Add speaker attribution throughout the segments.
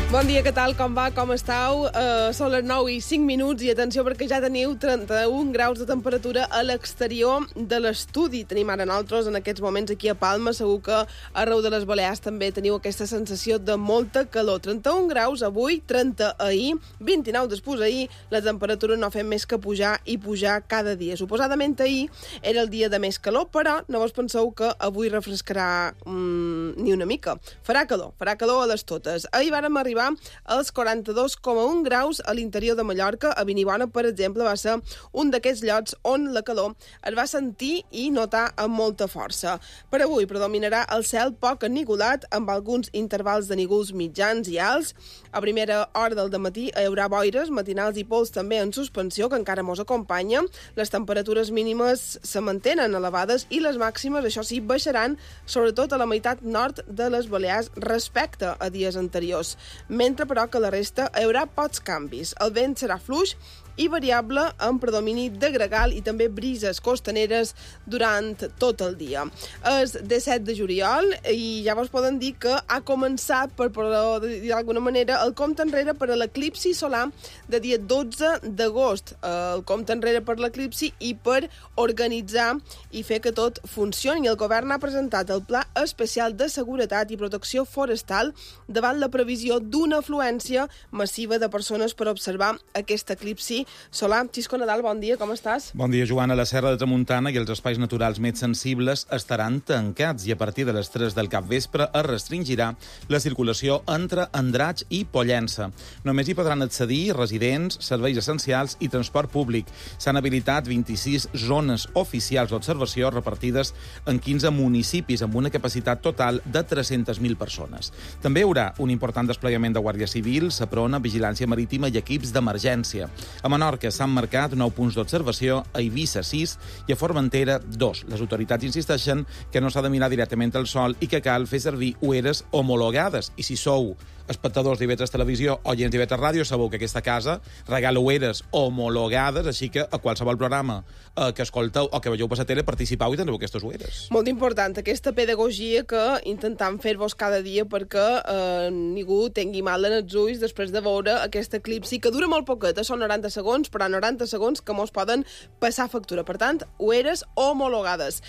Speaker 1: Bon dia, què tal? Com va? Com estàu? Són les 9:05 i atenció perquè ja teniu 31 graus de temperatura a l'exterior de l'estudi. Tenim ara nosaltres en aquests moments aquí a Palma. Segur que arreu de les Balears també teniu aquesta sensació de molta calor. 31 graus avui, 30 ahir, 29 després ahir. La temperatura no fem més que pujar i pujar cada dia. Suposadament ahir era el dia de més calor, però no vos penseu que avui refrescarà ni una mica. Farà calor a les totes. Ahir vàrem arribar als 42,1 graus a l'interior de Mallorca. A Vinibona, per exemple, va ser un d'aquests llocs on la calor es va sentir i notar amb molta força. Per avui predominarà el cel poc ennigolat, amb alguns intervals de nígols mitjans i alts. A primera hora del dematí hi haurà boires matinals i pols també en suspensió, que encara mos acompanya. Les temperatures mínimes se mantenen elevades i les màximes, això sí, baixaran, sobretot a la meitat nord de les Balears respecte a dies anteriors. Mentre, però, que la resta hi haurà pocs canvis. El vent serà fluix i variable amb predomini de gregal i també brises costaneres durant tot el dia. És 17 de juliol i ja vos poden dir que ha començat, per dir d'alguna manera, el compte enrere per a l'eclipsi solar de dia 12 d'agost. El compte enrere per l'eclipsi i per organitzar i fer que tot funcioni. El govern ha presentat el Pla Especial de Seguretat i Protecció Forestal davant la previsió d'una afluència massiva de persones per observar aquest eclipsi solar. Xisco Nadal, bon dia, com estàs?
Speaker 2: Bon dia, Joana. La Serra de Tramuntana i els espais naturals més sensibles estaran tancats i a partir de les 3 del capvespre es restringirà la circulació entre Andratx i Pollença. Només hi podran accedir residents, serveis essencials i transport públic. S'han habilitat 26 zones oficials d'observació repartides en 15 municipis amb una capacitat total de 300.000 persones. També hi haurà un important desplegament de Guàrdia Civil, Seprona, Vigilància Marítima i equips d'emergència. A Menorca s'han marcat 9 punts d'observació, a Eivissa 6 i a Formentera 2. Les autoritats insisteixen que no s'ha de mirar directament al sol i que cal fer servir ulleres homologades. I si sou espectadors d'IV3 Televisió o oients d'IV3 Ràdio, sabeu que aquesta casa regala ulleres homologades, així que a qualsevol programa que escolteu o que veieu per la tele participeu i teniu aquestes ulleres.
Speaker 1: Molt important, aquesta pedagogia que intentem fer-vos cada dia perquè ningú tingui mal en els ulls després de veure aquest eclipsi, que dura molt poquet, són 90 segons, però 90 segons que mos poden passar factura. Per tant, ulleres homologades.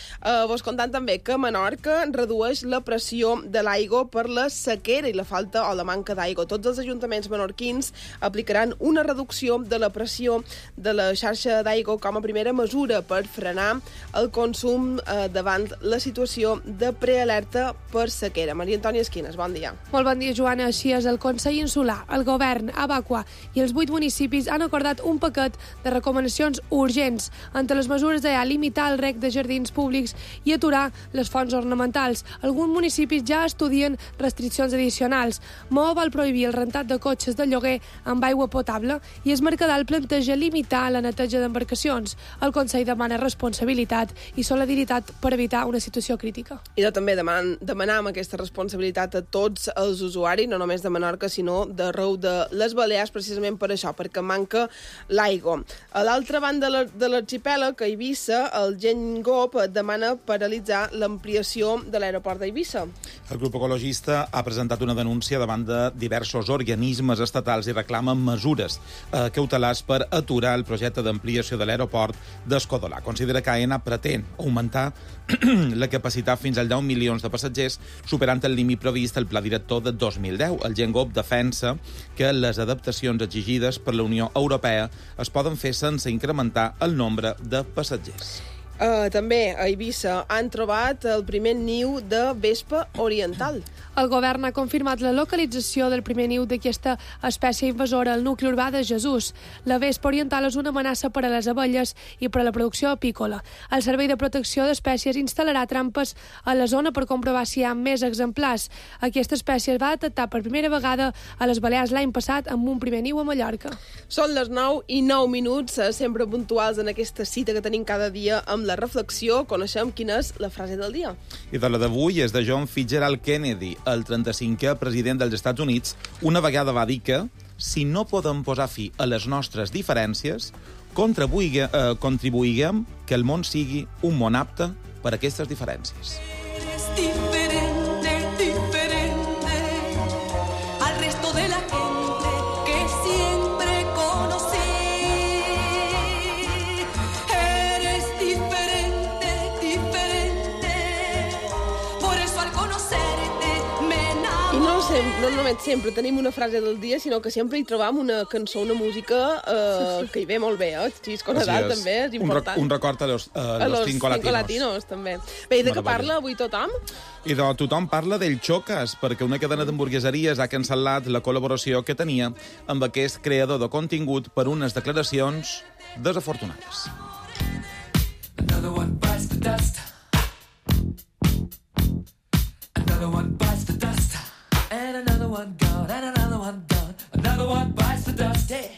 Speaker 1: Vos contant també que Menorca redueix la pressió de l'aigua per la sequera i la falta o la manca d'aigua. Tots els ajuntaments menorquins aplicaran una reducció de la pressió de la xarxa d'aigua com a primera mesura per frenar el consum davant la situació de prealerta per sequera. Maria Antònia Esquines, bon dia.
Speaker 3: Molt bon dia, Joana. Així és, el Consell Insular, el Govern, Abaqua i els 8 municipis han acordat un paquet de recomanacions urgents. Entre les mesures hi ha limitar el rec de jardins públics i aturar les fonts ornamentals. Alguns municipis ja estudien restriccions addicionals. Maó vol prohibir el rentat de cotxes de lloguer amb aigua potable i es Mercadal planteja limitar la neteja d'embarcacions. El Consell demana responsabilitat i solidaritat per evitar una situació crítica.
Speaker 1: I també demanam aquesta responsabilitat a tots els usuaris, no només de Menorca, sinó d'arreu de les Balears, precisament per això, perquè manca l'aigua. A l'altra banda de l'arxipèlag, a Eivissa, el GENGOP demana paralitzar l'ampliació de l'aeroport d'Eivissa.
Speaker 2: El grup ecologista ha presentat una denúncia davant de diversos organismes estatals i reclamen mesures cautelars per aturar el projecte d'ampliació de l'aeroport d'Escodolà. Considera que AENA pretén augmentar la capacitat fins als 10 milions de passatgers, superant el límit previst al pla director de 2010. El GENGOP defensa que les adaptacions exigides per la Unió Europea es poden fer sense incrementar el nombre de passatgers.
Speaker 1: També a Eivissa han trobat el primer niu de vespa oriental.
Speaker 3: El govern ha confirmat la localització del primer niu d'aquesta espècie invasora al nucli urbà de Jesús. La vespa oriental és una amenaça per a les abelles i per a la producció apícola. El Servei de Protecció d'Espècies instal·larà trampes a la zona per comprovar si hi ha més exemplars. Aquesta espècie es va detectar per primera vegada a les Balears l'any passat amb un primer niu a Mallorca.
Speaker 1: Són les 9:09, sempre puntuals en aquesta cita que tenim cada dia amb la reflexió. Coneixem quina és la frase del dia.
Speaker 2: I de la d'avui és de John Fitzgerald Kennedy. El 35è president dels Estats Units una vegada va dir que si no podem posar fi a les nostres diferències, contribuïguem que el món sigui un món apte per a aquestes diferències.
Speaker 4: Diferente al resto de la
Speaker 1: només sempre tenim una frase del dia, sinó que sempre hi trobam una cançó, una música que hi ve molt bé, Xisco Nadal també, és important.
Speaker 2: Un record a los Cinco Latinos.
Speaker 1: També. Bé, i de què parla avui tothom?
Speaker 2: I tothom parla del Chocas, perquè una cadena d'hamburgueseries ha cancel·lat la col·laboració que tenia amb aquest creador de contingut per unes declaracions desafortunades.
Speaker 4: Another one bites the dust. Another one bites the dust. And another one gone, and another one gone. Another one bites the dust. Hey.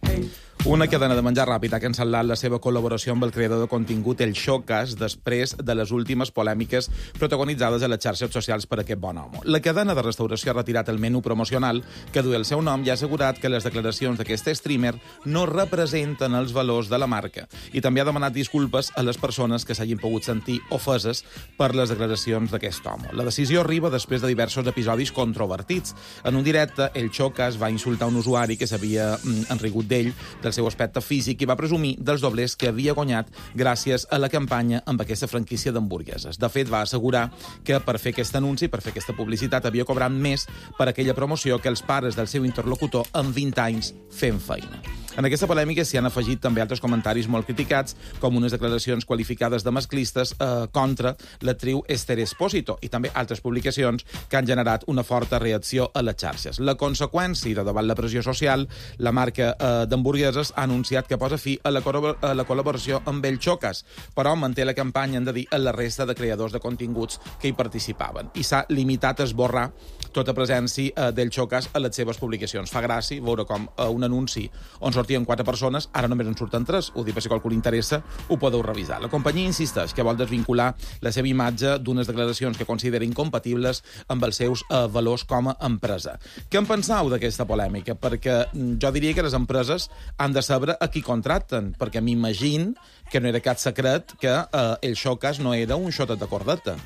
Speaker 4: Hey.
Speaker 2: Una cadena de menjar ràpid ha cancel·lat la seva col·laboració amb el creador de contingut El Chocas després de les últimes polèmiques protagonitzades a les xarxes socials per aquest bon home. La cadena de restauració ha retirat el menú promocional que duia el seu nom i ha assegurat que les declaracions d'aquest streamer no representen els valors de la marca i també ha demanat disculpes a les persones que s'hagin pogut sentir ofeses per les declaracions d'aquest home. La decisió arriba després de diversos episodis controvertits. En un directe, El Chocas va insultar un usuari que s'havia enrigut d'ell, del seu aspecte físic, i va presumir dels doblers que havia guanyat gràcies a la campanya amb aquesta franquícia d'hamburgueses. De fet, va assegurar que per fer aquest anunci, per fer aquesta publicitat, havia cobrat més per aquella promoció que els pares del seu interlocutor en 20 anys fent feina. En aquesta polèmica s'hi han afegit també altres comentaris molt criticats, com unes declaracions qualificades de masclistes contra l'actriu Esther Espósito, i també altres publicacions que han generat una forta reacció a les xarxes. La conseqüència de davant la pressió social, la marca d'hamburgueses ha anunciat que posa fi a la col·laboració amb El Chocas, però manté la campanya, hem de dir, a la resta de creadors de continguts que hi participaven. I s'ha limitat a esborrar tota presència d'El Chocas a les seves publicacions. Fa gràcia veure com un anunci on sortien 4 persones, ara només en surten 3. Ho dic per si qualcú li interessa, ho podeu revisar. La companyia insisteix que vol desvincular la seva imatge d'unes declaracions que considera incompatibles amb els seus valors com a empresa. Què en penseu d'aquesta polèmica? Perquè jo diria que les empreses han de saber a qui contracten, perquè m'imagino que no era cap secret que El Chocas no era un xotet de cordeta.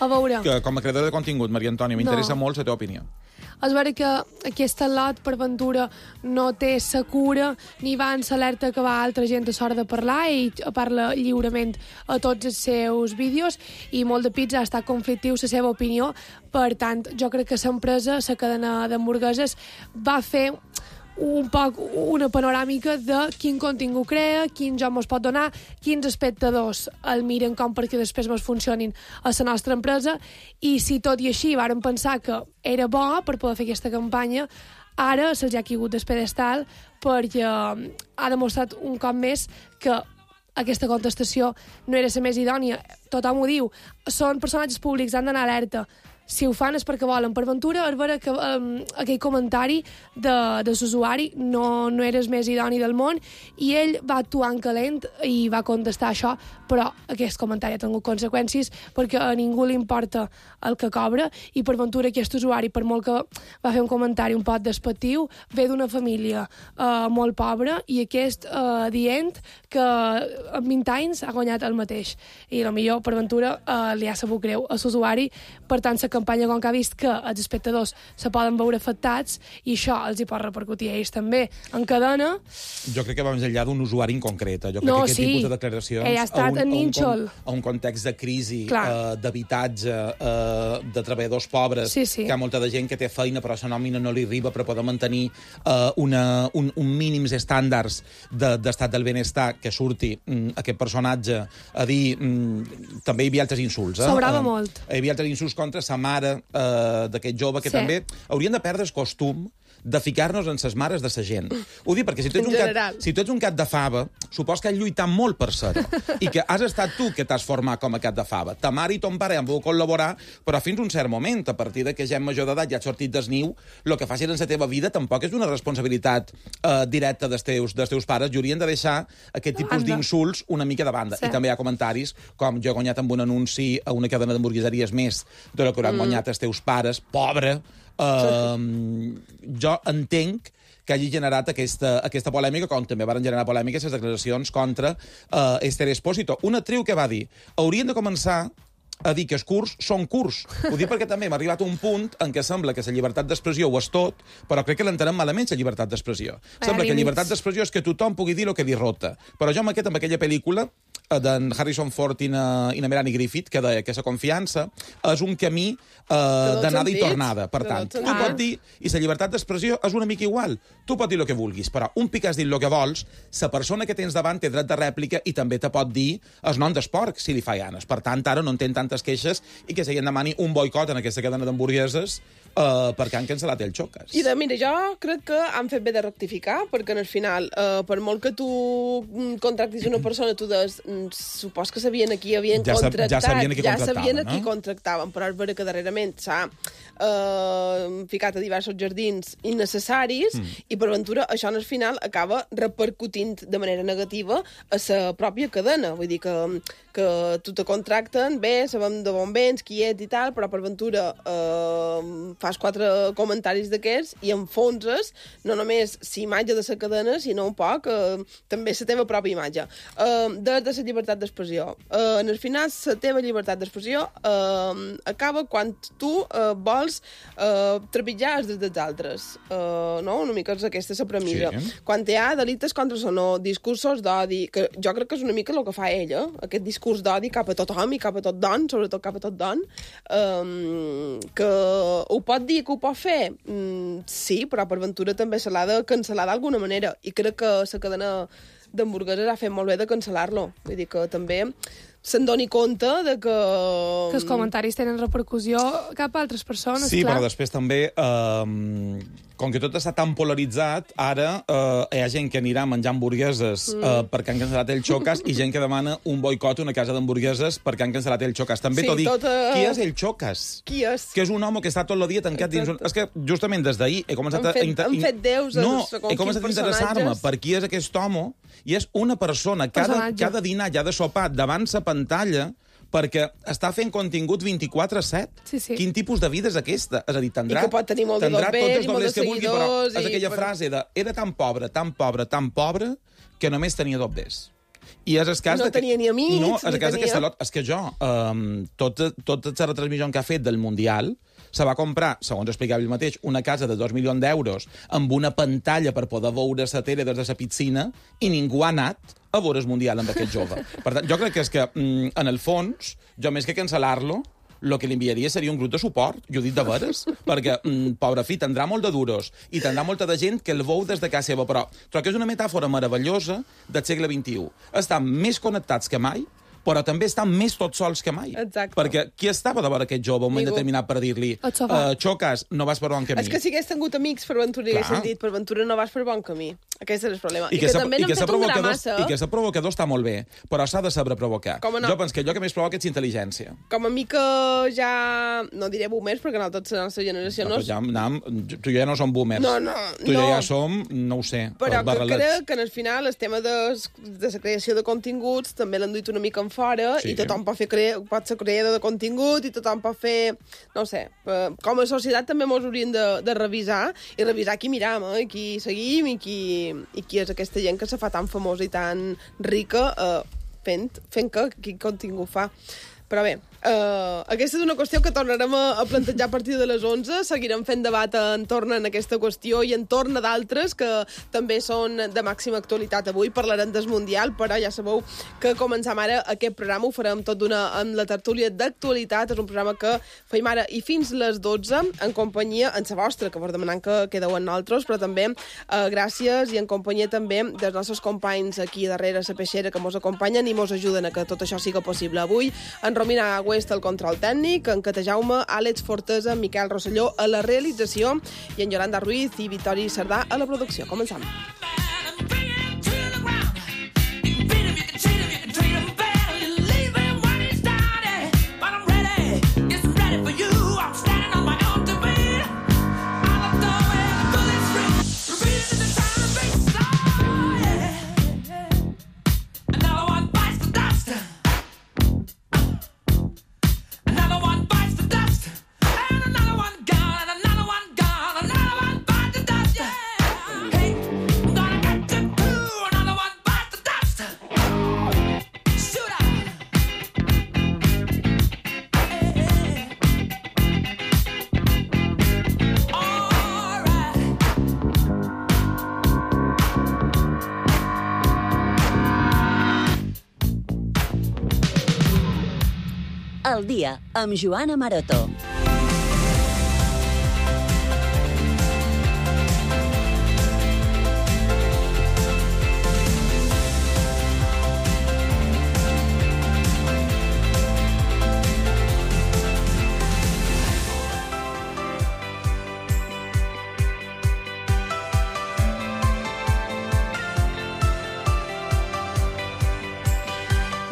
Speaker 3: A veure...
Speaker 2: Que, com a creadora de contingut, Maria Antònia, m'interessa molt la teva opinió.
Speaker 3: És vera que aquest lot, per ventura, no té sa cura ni va en l'alerta que va altra gent a l'hora de parlar i parla lliurement a tots els seus vídeos i molt de pizza ha estat conflictiu la seva opinió. Per tant, jo crec que l'empresa, la cadena d'hamburgueses, va fer un poc una panoràmica de quin contingut crea, quin joc mos pot donar, quins espectadors el miren com perquè després mos funcionin a la nostra empresa, i si tot i així vàrem pensar que era bo per poder fer aquesta campanya, ara se'ls ha caigut del pedestal perquè ha demostrat un cop més que aquesta contestació no era la més idònia. Tothom ho diu, són personatges públics, han d'anar alerta. Si ho fan és perquè volen. Per ventura, és vera que aquell comentari de l'usuari no era el més idoni del món i ell va actuar en calent i va contestar això, però aquest comentari ha tingut conseqüències perquè a ningú li importa el que cobra i per ventura aquest usuari, per molt que va fer un comentari un poc despectiu, ve d'una família molt pobra i aquest dient que en 20 anys ha guanyat el mateix. I potser per ventura li ha sabut greu a l'usuari, per tant la campanya com que ha vist que els espectadors se poden veure afectats i això els hi pot repercutir a ells també en cadena. Jo crec que va més enllà d'un usuari en concret. Jo crec que aquest tipus de declaracions ha estat a un context de crisi, d'habitatge, de treballadors pobres, que hi ha molta de gent que té feina però la nòmina no li arriba per poder mantenir un mínims estàndards d'estat del benestar, que surti aquest personatge a dir... També hi havia altres insults. Sobrava molt. Hi havia altres insults contra sa mare d'aquest jove, que també haurien de perdre el costum de ficar-nos en ses mares de sa gent. Ho dic perquè si tu ets un gat de fava, supos que has lluitat molt per ser-ho, i que has estat tu que t'has format com a gat de fava. Ta mare i ton pare han volgut col·laborar, però fins un cert moment, a partir de que ja en major d'edat ja has sortit del niu, el que facis en la teva vida tampoc és una responsabilitat directa dels teus pares, i haurien de deixar aquest tipus d'insults una mica de banda. I també hi ha comentaris com jo he guanyat amb un anunci a una cadena d'hamburgueseries més de lo que hauran guanyat els teus pares, pobre. Jo entenc que hagi generat aquesta polèmica, com també van generar polèmiques les declaracions contra Esther Espósito, una actriu que va dir: haurien de començar a dir que els curts són curts. Ho dic perquè també m'ha arribat un punt en què sembla que la llibertat d'expressió ho és tot, però crec que l'entenem malament, la llibertat d'expressió. Sembla que la llibertat d'expressió és que tothom pugui dir el que li rota. Però jo amb aquella pel·lícula
Speaker 2: d'en Harrison Ford i na Melanie Griffith, que deia que la confiança és un camí d'anada i tornada. Per tant, tu pots dir, i la llibertat d'expressió és una mica igual. Tu pots dir el que vulguis, però un pic has dit el que vols, la persona que tens davant té dret de rèplica i també te pot dir el nom d'esporc, si li fa ganes. Per tant, ara no en tenen tantes queixes i que se demani un boicot en aquesta cadena d'hamburgueses perquè han cancel·lat el Xocas.
Speaker 1: I mira, jo crec que han fet bé de rectificar, perquè al final, per molt que tu contractis una persona, tu supos que sabien a qui havien contractat.
Speaker 2: Ja sabien a qui
Speaker 1: contractaven, però és vera que darrerament s'ha ficat a diversos jardins innecessaris i per ventura això al final acaba repercutint de manera negativa a la pròpia cadena. Vull dir que tu te contracten, bé, sabem de bon vens, qui ets i tal, però per ventura fas 4 comentaris d'aquests i enfonses no només la imatge de la cadena, sinó un poc també la teva pròpia imatge. De la llibertat d'expressió. En el final, la teva llibertat d'expressió acaba quan tu vols trepitjar els drets dels altres. No? Una mica és aquesta la premissa. Sí. Quan hi ha delictes contra o discursos d'odi, que jo crec que és una mica el que fa ella, aquest discurs d'odi cap a tothom i cap a tot don, sobretot cap a tot don, que ho pot dir, que ho pot fer? Sí, però per ventura també se l'ha de cancel·lar d'alguna manera. I crec que la cadena d'hamburgueses ha fet molt bé de cancel·lar-lo. Vull dir que també se'n doni compte de que
Speaker 3: els comentaris tenen repercussió cap a altres persones,
Speaker 2: sí,
Speaker 3: clar.
Speaker 2: Però després també, com que tot està tan polaritzat, ara hi ha gent que anirà a menjar hamburgueses perquè han cancel·lat el Xocas i gent que demana un boicot a una casa d'hamburgueses perquè han cancel·lat el Xocas. També t'ho dic, qui és el Xocas?
Speaker 1: Qui és?
Speaker 2: Que és un home que està tot el dia tancat dins... És que justament des d'ahir he començat
Speaker 1: Han fet déus
Speaker 2: he començat a interessar-me per qui és aquest home i és una persona que ha de dinar, ja de sopar davant la pantalla perquè està fent contingut 24/7.
Speaker 3: Sí.
Speaker 2: Quin tipus de vida és aquesta? És a dir, tindrà
Speaker 1: I que pot tenir molt de doblers i molt de seguidors.
Speaker 2: Però és aquella frase de era tan pobre, tan pobre, tan pobre, que només tenia doblers. I és el cas
Speaker 1: no tenia ni amics.
Speaker 2: No, és el cas d'aquesta lot. És que jo, tota la retransmissió que ha fet del Mundial, se va comprar, segons explicava ell mateix, una casa de 2 milions d'euros amb una pantalla per poder veure la tele des de la piscina i ningú ha anat a veure el Mundial amb aquest jove. Per tant, jo crec que és que, en el fons, jo més que cancel·lar-lo, el que li enviaria seria un grup de suport, jo ho dic de veres, perquè, pobre fi, tindrà molt de duros i tindrà molta de gent que el veu des de casa seva, però trobo que és una metàfora meravellosa del segle XXI. Estan més connectats que mai, però també estan més tots sols que mai.
Speaker 1: Exacte.
Speaker 2: Perquè qui estava de veure aquest jove un moment determinat per dir-li Xocas, no vas per bon camí?
Speaker 1: És que si hagués tingut amics per ventura i haguessin dit per ventura no vas per bon camí. Aquest és el problema. I que també n'han fet un gramassa.
Speaker 2: I que ser provocador està molt bé, però s'ha de saber provocar.
Speaker 1: No?
Speaker 2: Jo penso que allò que més provoca és intel·ligència.
Speaker 1: Com a mi que ja... No diré boomers, perquè nosaltres la nostra generació no...
Speaker 2: Tu i jo ja no som boomers.
Speaker 1: No.
Speaker 2: Tu i jo ja som, no ho sé,
Speaker 1: però que crec que en el final el tema de la creació de continguts també l'han duit una mica en fora i tothom pot ser creador de contingut i tothom pot fer... No ho sé. Com a societat també ens hauríem de revisar i revisar qui miram, i qui seguim i qui és aquesta gent que se fa tan famosa i tan rica fent que quin contingut fa. Però bé, aquesta és una qüestió que tornarem a plantejar a partir de les 11. Seguirem fent debat entorn a aquesta qüestió i entorn a d'altres que també són de màxima actualitat avui. Parlarem del Mundial, però ja sabeu que començam ara aquest programa, ho farem tot amb la tertúlia d'actualitat. És un programa que feim ara i fins les 12 en companyia, en sa vostra, que vos demanant que quedeu amb nosaltres, però també gràcies i en companyia també dels nostres companys aquí darrere la peixera que mos acompanyen i mos ajuden a que tot això siga possible. Avui en Romina Agüest al control tècnic, en Cata Jaume, Àlex Fortesa, Miquel Rosselló a la realització i en Yolanda Ruiz i Vitori Cerdà a la producció. Començam.
Speaker 5: al dia, amb Joana Maroto.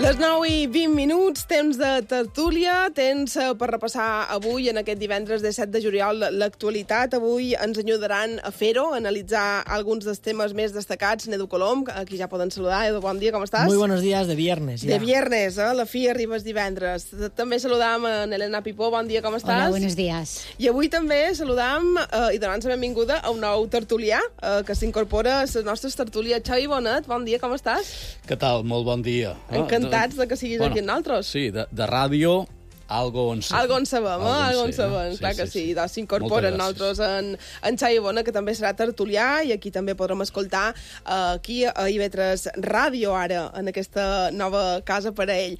Speaker 1: Les 9:20, temps de tertúlia, temps per repassar avui, en aquest divendres de 7 de juliol, l'actualitat. Avui ens ajudaran a fer-ho, a analitzar alguns dels temes més destacats. Edu Colom, aquí ja poden saludar. Edu, bon dia, com estàs?
Speaker 6: Muy buenos días, de viernes. Ya.
Speaker 1: De viernes, a la fi arribes divendres. També saludam a Elena Pipó, bon dia, com estàs?
Speaker 7: Hola, buenos días.
Speaker 1: I avui també saludam i donant la benvinguda a un nou tertulià que s'incorpora a les nostres tertúlies. Xavi Bonet, bon dia, com estàs?
Speaker 8: Què tal? Molt bon dia.
Speaker 1: Encantats de que siguis aquí amb nosaltres.
Speaker 8: Sí, de ràdio, algo on sabem.
Speaker 1: Algo en sabem, algo en sabem, clar que sí. Doncs s'incorporen nosaltres en Xavi Bona, que també serà tertulià, i aquí també podrem escoltar aquí a IB3 Ràdio, ara, en aquesta nova casa per a ell.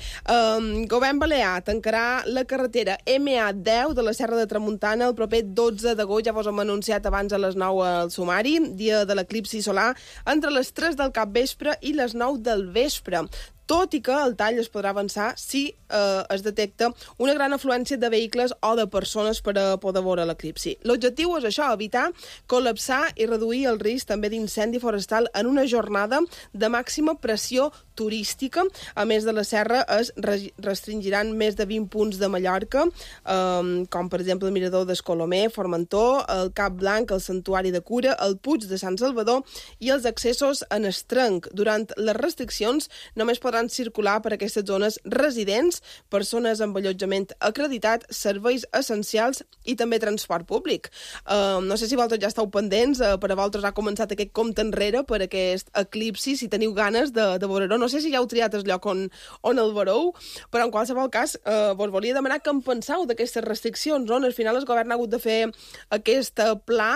Speaker 1: Govern Balear tancarà la carretera MA10 de la Serra de Tramuntana el proper 12 d'agost, ja vos hem anunciat abans a les 9 al sumari, dia de l'eclipsi solar, entre les 3 del capvespre i les 9 del vespre. Tot i que el tall es podrà avançar si es detecta una gran afluència de vehicles o de persones per a poder veure l'eclipsi. L'objectiu és això, evitar col·lapsar i reduir el risc també d'incendi forestal en una jornada de màxima pressió turística. A més de la serra, es restringiran més de 20 punts de Mallorca, com per exemple el Mirador d'Escolomer, Formentor, el Cap Blanc, el Santuari de Cura, el Puig de Sant Salvador i els accessos en Estrenc. Durant les restriccions només podran circular per aquestes zones residents, persones amb allotjament acreditat, serveis essencials i també transport públic. No sé si vosaltres ja esteu pendents, per a vosaltres ha començat aquest compte enrere per aquest eclipsi, si teniu ganes de veure-ho. No sé si ja heu triat el lloc on el veureu, però en qualsevol cas vos volia demanar què en penseu d'aquestes restriccions, no? Al final el govern ha hagut de fer aquest pla,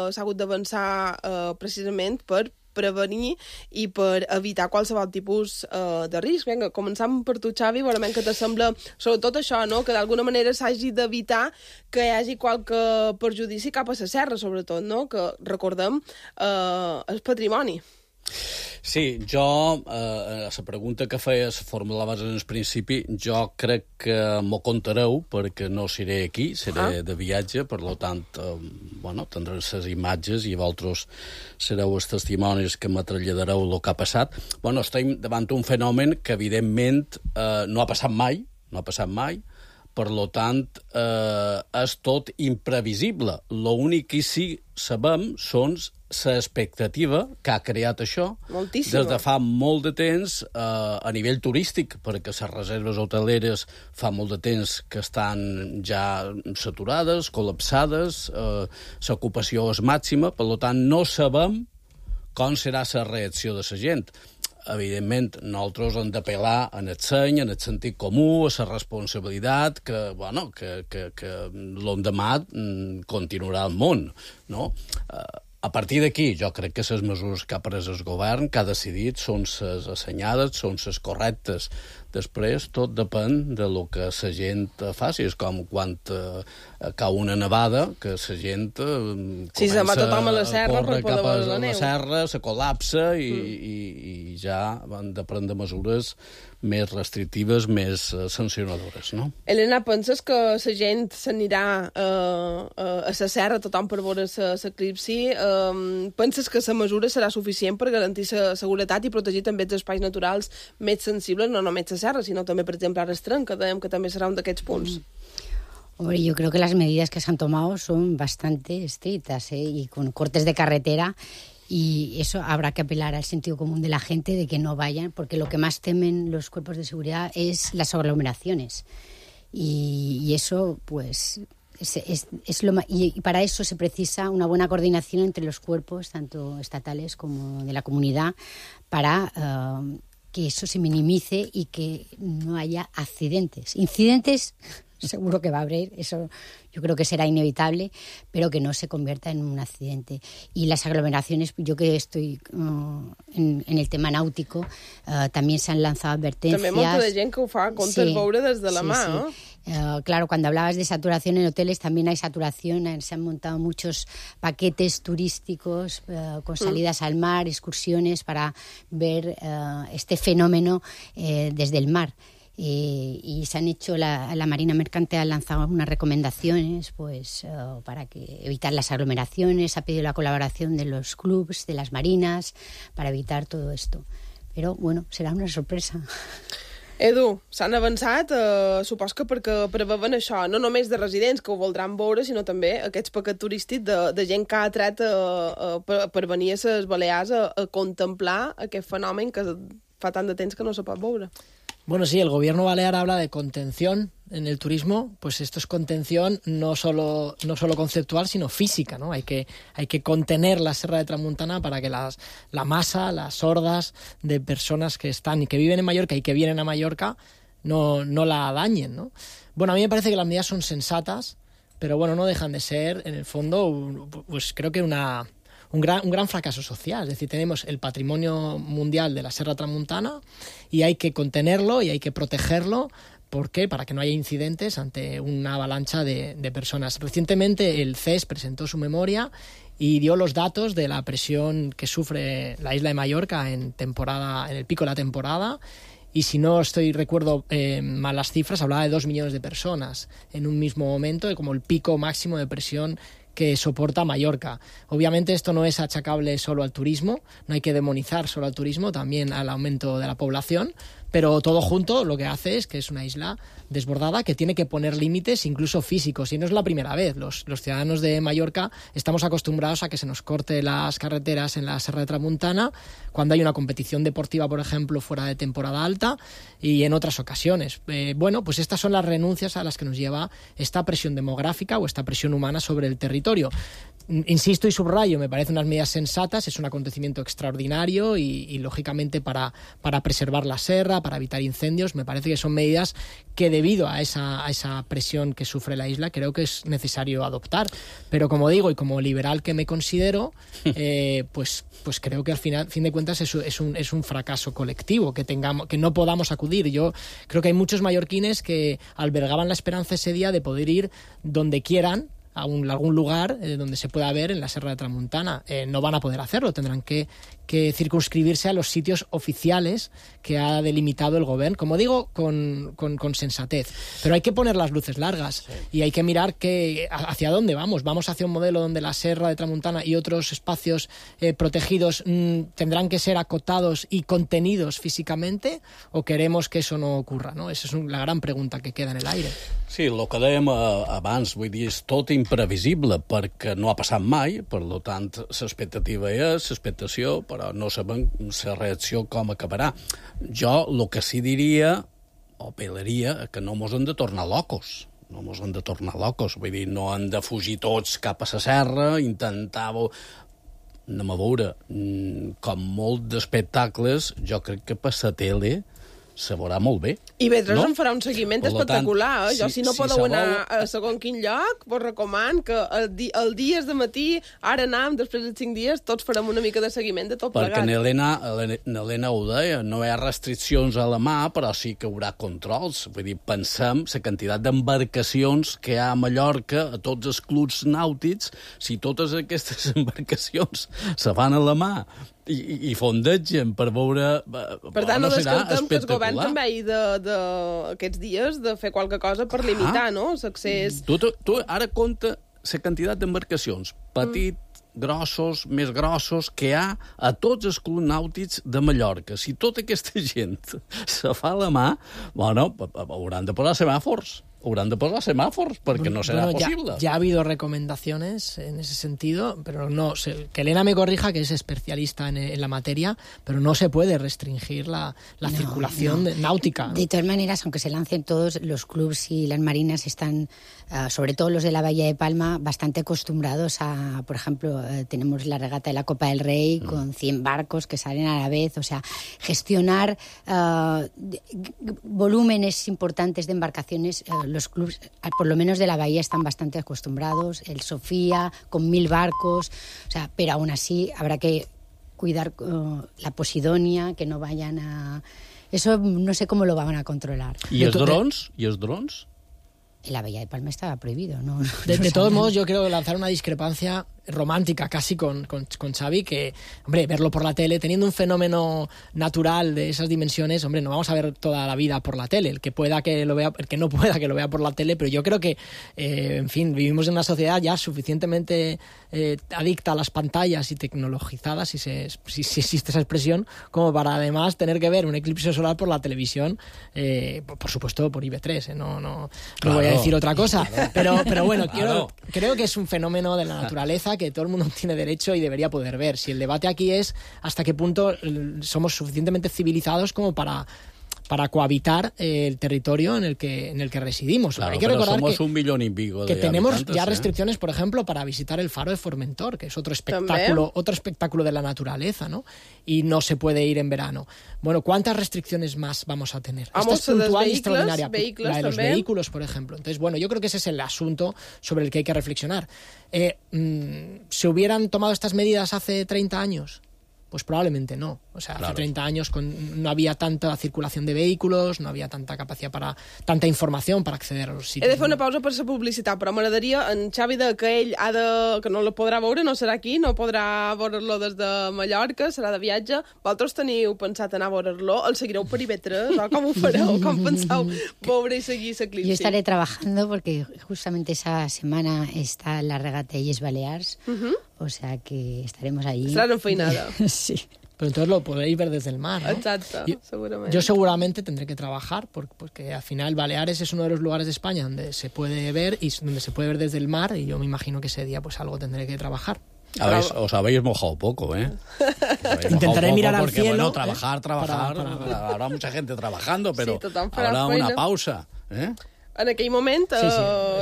Speaker 1: s'ha hagut d'avançar precisament per prevenir i per evitar qualsevol tipus de risc. Vinga, començam per tu, Xavi, veurem què te sembla, sobretot això, no? Que d'alguna manera s'hagi d'evitar que hi hagi qualque perjudici cap a la serra, sobretot, no? Que, recordem, és patrimoni.
Speaker 8: Sí, jo, a la pregunta que feies, formulaves en el principi, jo crec que m'ho contareu, perquè no seré aquí, seré de viatge, per tant, tindré les imatges i vosaltres sereu els testimonis que me traslladareu el que ha passat. Estem davant un fenomen que, evidentment, no ha passat mai, per tant, és tot imprevisible. L'únic que sí sabem són l'expectativa que ha creat això des de fa molt de temps a nivell turístic, perquè les reserves hoteleres fa molt de temps que estan ja saturades, col·lapsades, l'ocupació és màxima, per tant, no sabem com serà la reacció de la gent. Evidentment, nosaltres hem d'apel·lar en el seny, en el sentit comú, a la responsabilitat, que l'endemà continuarà el món, no? A partir d'aquí, jo crec que les mesures que ha pres el govern, que ha decidit, són les assenyades, són les correctes. Després, tot depèn de lo que la gent faci. És com quan cau una nevada, que la gent comença
Speaker 1: va tothom a la serra
Speaker 8: córrer
Speaker 1: per poder
Speaker 8: cap a
Speaker 1: veure la
Speaker 8: la
Speaker 1: neu.
Speaker 8: serra, se col·lapsa i ja han de prendre mesures més restrictives, més sancionadores, no?
Speaker 1: Elena, penses que la gent s'anirà a la serra, tothom per veure l'eclipsi? Penses que la mesura serà suficient per garantir la seguretat i protegir també els espais naturals més sensibles, no només la serra, sinó també, per exemple, ara Estrenc, que dèiem que també serà un d'aquests punts?
Speaker 7: Hombre, yo creo que las medidas que se han tomado son bastante estrictas, y con cortes de carretera, y eso habrá que apelar al sentido común de la gente de que no vayan, porque lo que más temen los cuerpos de seguridad es las aglomeraciones. Y eso, pues, y para eso se precisa una buena coordinación entre los cuerpos, tanto estatales como de la comunidad, para que eso se minimice y que no haya accidentes. Incidentes seguro que va a haber, eso yo creo que será inevitable, pero que no se convierta en un accidente. Y las aglomeraciones, yo que estoy en el tema náutico, también se han lanzado advertencias.
Speaker 1: També molta de gent que ho fa, comptes veure des de la mà, ¿no?
Speaker 7: Claro, cuando hablabas de saturación en hoteles, también hay saturación. Se han montado muchos paquetes turísticos con salidas al mar, excursiones para ver este fenómeno desde el mar. Y se han hecho, la Marina Mercante ha lanzado unas recomendaciones pues para evitar las aglomeraciones, ha pedido la colaboración de los clubs, de las marinas, para evitar todo esto. Pero bueno, serà una sorpresa.
Speaker 1: Edu, s'han avançat, supos que perquè preveuen això, no només de residents que ho voldran veure, sinó també aquests paquets turístics de gent que ha atret per venir a les Balears a contemplar aquest fenomen que fa tant de temps que no se pot veure.
Speaker 6: Bueno, sí, el gobierno balear habla de contención en el turismo, pues esto es contención no solo conceptual, sino física, ¿no? Hay que contener la Serra de Tramuntana para que la masa, las hordas de personas que están y que viven en Mallorca y que vienen a Mallorca no la dañen, ¿no? Bueno, a mí me parece que las medidas son sensatas, pero bueno, no dejan de ser, en el fondo, pues creo que un gran fracaso social. Es decir, tenemos el patrimonio mundial de la Serra Tramuntana y hay que contenerlo y hay que protegerlo. ¿Por qué? Para que no haya incidentes ante una avalancha de personas. Recientemente el CES presentó su memoria y dio los datos de la presión que sufre la isla de Mallorca en el pico de la temporada. Y si no recuerdo mal las cifras, hablaba de 2 millones de personas en un mismo momento, como el pico máximo de presión que soporta Mallorca. Obviamente esto no es achacable solo al turismo, no hay que demonizar solo al turismo, también al aumento de la población, pero todo junto lo que hace es que es una isla desbordada que tiene que poner límites incluso físicos, y no es la primera vez. Los ciudadanos de Mallorca estamos acostumbrados a que se nos corte las carreteras en la Serra de Tramuntana cuando hay una competición deportiva, por ejemplo, fuera de temporada alta, y en otras ocasiones. Bueno, pues estas son las renuncias a las que nos lleva esta presión demográfica o esta presión humana sobre el territorio. Insisto y subrayo, me parecen unas medidas sensatas, es un acontecimiento extraordinario y lógicamente para preservar la serra, para evitar incendios, me parece que son medidas que debido a esa presión que sufre la isla creo que es necesario adoptar. Pero como digo, y como liberal que me considero, pues creo que al fin de cuentas es un fracaso colectivo que no podamos acudir. Yo creo que hay muchos mallorquines que albergaban la esperanza ese día de poder ir donde quieran, a algún lugar donde se pueda ver en la Serra de Tramuntana. No van a poder hacerlo, tendrán que circunscribirse a los sitios oficiales que ha delimitado el gobierno, como digo, con sensatez. Pero hay que poner las luces largas y hay que mirar hacia dónde vamos. ¿Vamos hacia un modelo donde la Serra de Tramuntana y otros espacios protegidos tendrán que ser acotados y contenidos físicamente, o queremos que eso no ocurra, ¿no? Esa es la gran pregunta que queda en el aire.
Speaker 8: Sí, el que dèiem abans, vull dir, és tot imprevisible perquè no ha passat mai, per tant, l'expectativa és l'expectació, però no sabem la reacció com acabarà. Jo el que sí diria, o apel·laria, que no mos hem de tornar locos. No mos hem de tornar locos, vull dir, no hem de fugir tots cap a la serra, intentar... Anem a veure, com molt d'espectacles, jo crec que per la tele se veurà molt bé.
Speaker 1: I Vedres en farà un seguiment espectacular. Jo, si no podeu anar a segon quin lloc, vos recomano que el dia de matí, ara anam, després de 5 dies, tots farem una mica de seguiment de tot plegat.
Speaker 8: Perquè n'Helena ho deia, no hi ha restriccions a la mà, però sí que hi haurà controls. Vull dir, pensem la quantitat d'embarcacions que hi ha a Mallorca, a tots els clubs nàutics, si totes aquestes embarcacions se fan a la mà i fondegen per veure...
Speaker 1: Per tant, no descartem que el govern també hi d'aquests dies de fer qualque cosa per limitar, no?, l'accés...
Speaker 8: Tu ara compta la quantitat d'embarcacions, grossos, més grossos, que hi ha a tots els clubs nàutics de Mallorca. Si tota aquesta gent se fa a la mà, bueno, hauran de posar semàfors. Haurán de posar semáforos porque no será posible.
Speaker 6: Ya ha habido recomendaciones en ese sentido, pero no que Elena me corrija, que es especialista en la materia, pero no se puede restringir la circulación náutica, ¿no?
Speaker 7: De todas maneras, aunque se lancen todos, los clubs y las marinas están, sobre todo los de la Bahía de Palma, bastante acostumbrados a, por ejemplo, tenemos la regata de la Copa del Rey con 100 barcos que salen a la vez, o sea, gestionar volúmenes importantes de embarcaciones los clubes, por lo menos de la Bahía, están bastante acostumbrados. El Sofía, con 1000 barcos, o sea, pero aún así habrá que cuidar la Posidonia, que no vayan a... Eso no sé cómo lo van a controlar.
Speaker 8: ¿Y els drons?
Speaker 7: En la Bahía de Palma estaba prohibido, ¿no?
Speaker 6: De todos modos, yo quiero lanzar una discrepancia romántica casi con Xavi, que, hombre, verlo por la tele, teniendo un fenómeno natural de esas dimensiones, hombre, no vamos a ver toda la vida por la tele, el que pueda que lo vea, el que no pueda que lo vea por la tele, pero yo creo que, en fin, vivimos en una sociedad ya suficientemente adicta a las pantallas y tecnologizadas, si existe esa expresión, como para además tener que ver un eclipse solar por la televisión, por supuesto por IB3, no voy a decir otra cosa, claro. pero bueno, creo que es un fenómeno de la naturaleza que todo el mundo tiene derecho y debería poder ver. Si el debate aquí es hasta qué punto somos suficientemente civilizados como para cohabitar el territorio en el que residimos.
Speaker 8: Claro,
Speaker 6: hay que recordar
Speaker 8: somos 1,5 millones
Speaker 6: que tenemos ya restricciones, por ejemplo, para visitar el faro de Formentor, que es otro espectáculo de la naturaleza, ¿no? Y no se puede ir en verano. Bueno, ¿cuántas restricciones más vamos a tener? Esta es puntual y extraordinaria. La de los vehículos, por ejemplo. Entonces, bueno, yo creo que ese es el asunto sobre el que hay que reflexionar. ¿Se hubieran tomado estas medidas hace 30 años? Pues probablemente no. O sea, hace 30 años no había tanta circulación de vehículos, no havia tanta capacitat tanta informació per acceder a los sitios.
Speaker 1: He de fer una pausa per la publicitat, però m'agradaria, en Xavi, que ell que no lo podrà veure, no serà aquí, no podrà veure-lo des de Mallorca, serà de viatge. Vosaltres teniu pensat anar a veure-lo? El seguireu per IB3? O com ho fareu? Com penseu veure i seguir l'eclipsi?
Speaker 7: Yo estaré trabajando porque justamente esa semana está la regata Illes Balears, o sea que estaremos allí.
Speaker 1: Estarán enfeinada.
Speaker 7: Sí.
Speaker 6: Pero entonces lo podréis ver desde el mar, ¿no?
Speaker 1: Exacto, seguramente.
Speaker 6: Yo seguramente tendré que trabajar porque al final Baleares es uno de los lugares de España donde se puede ver y donde se puede ver desde el mar, y yo me imagino que ese día pues algo tendré que trabajar.
Speaker 8: Os habéis mojado poco, ¿eh?
Speaker 6: Intentaré mirar al cielo.
Speaker 8: Bueno, trabajar. Habrá mucha gente trabajando, pero habrá una pausa, ¿eh?
Speaker 1: En aquell moment,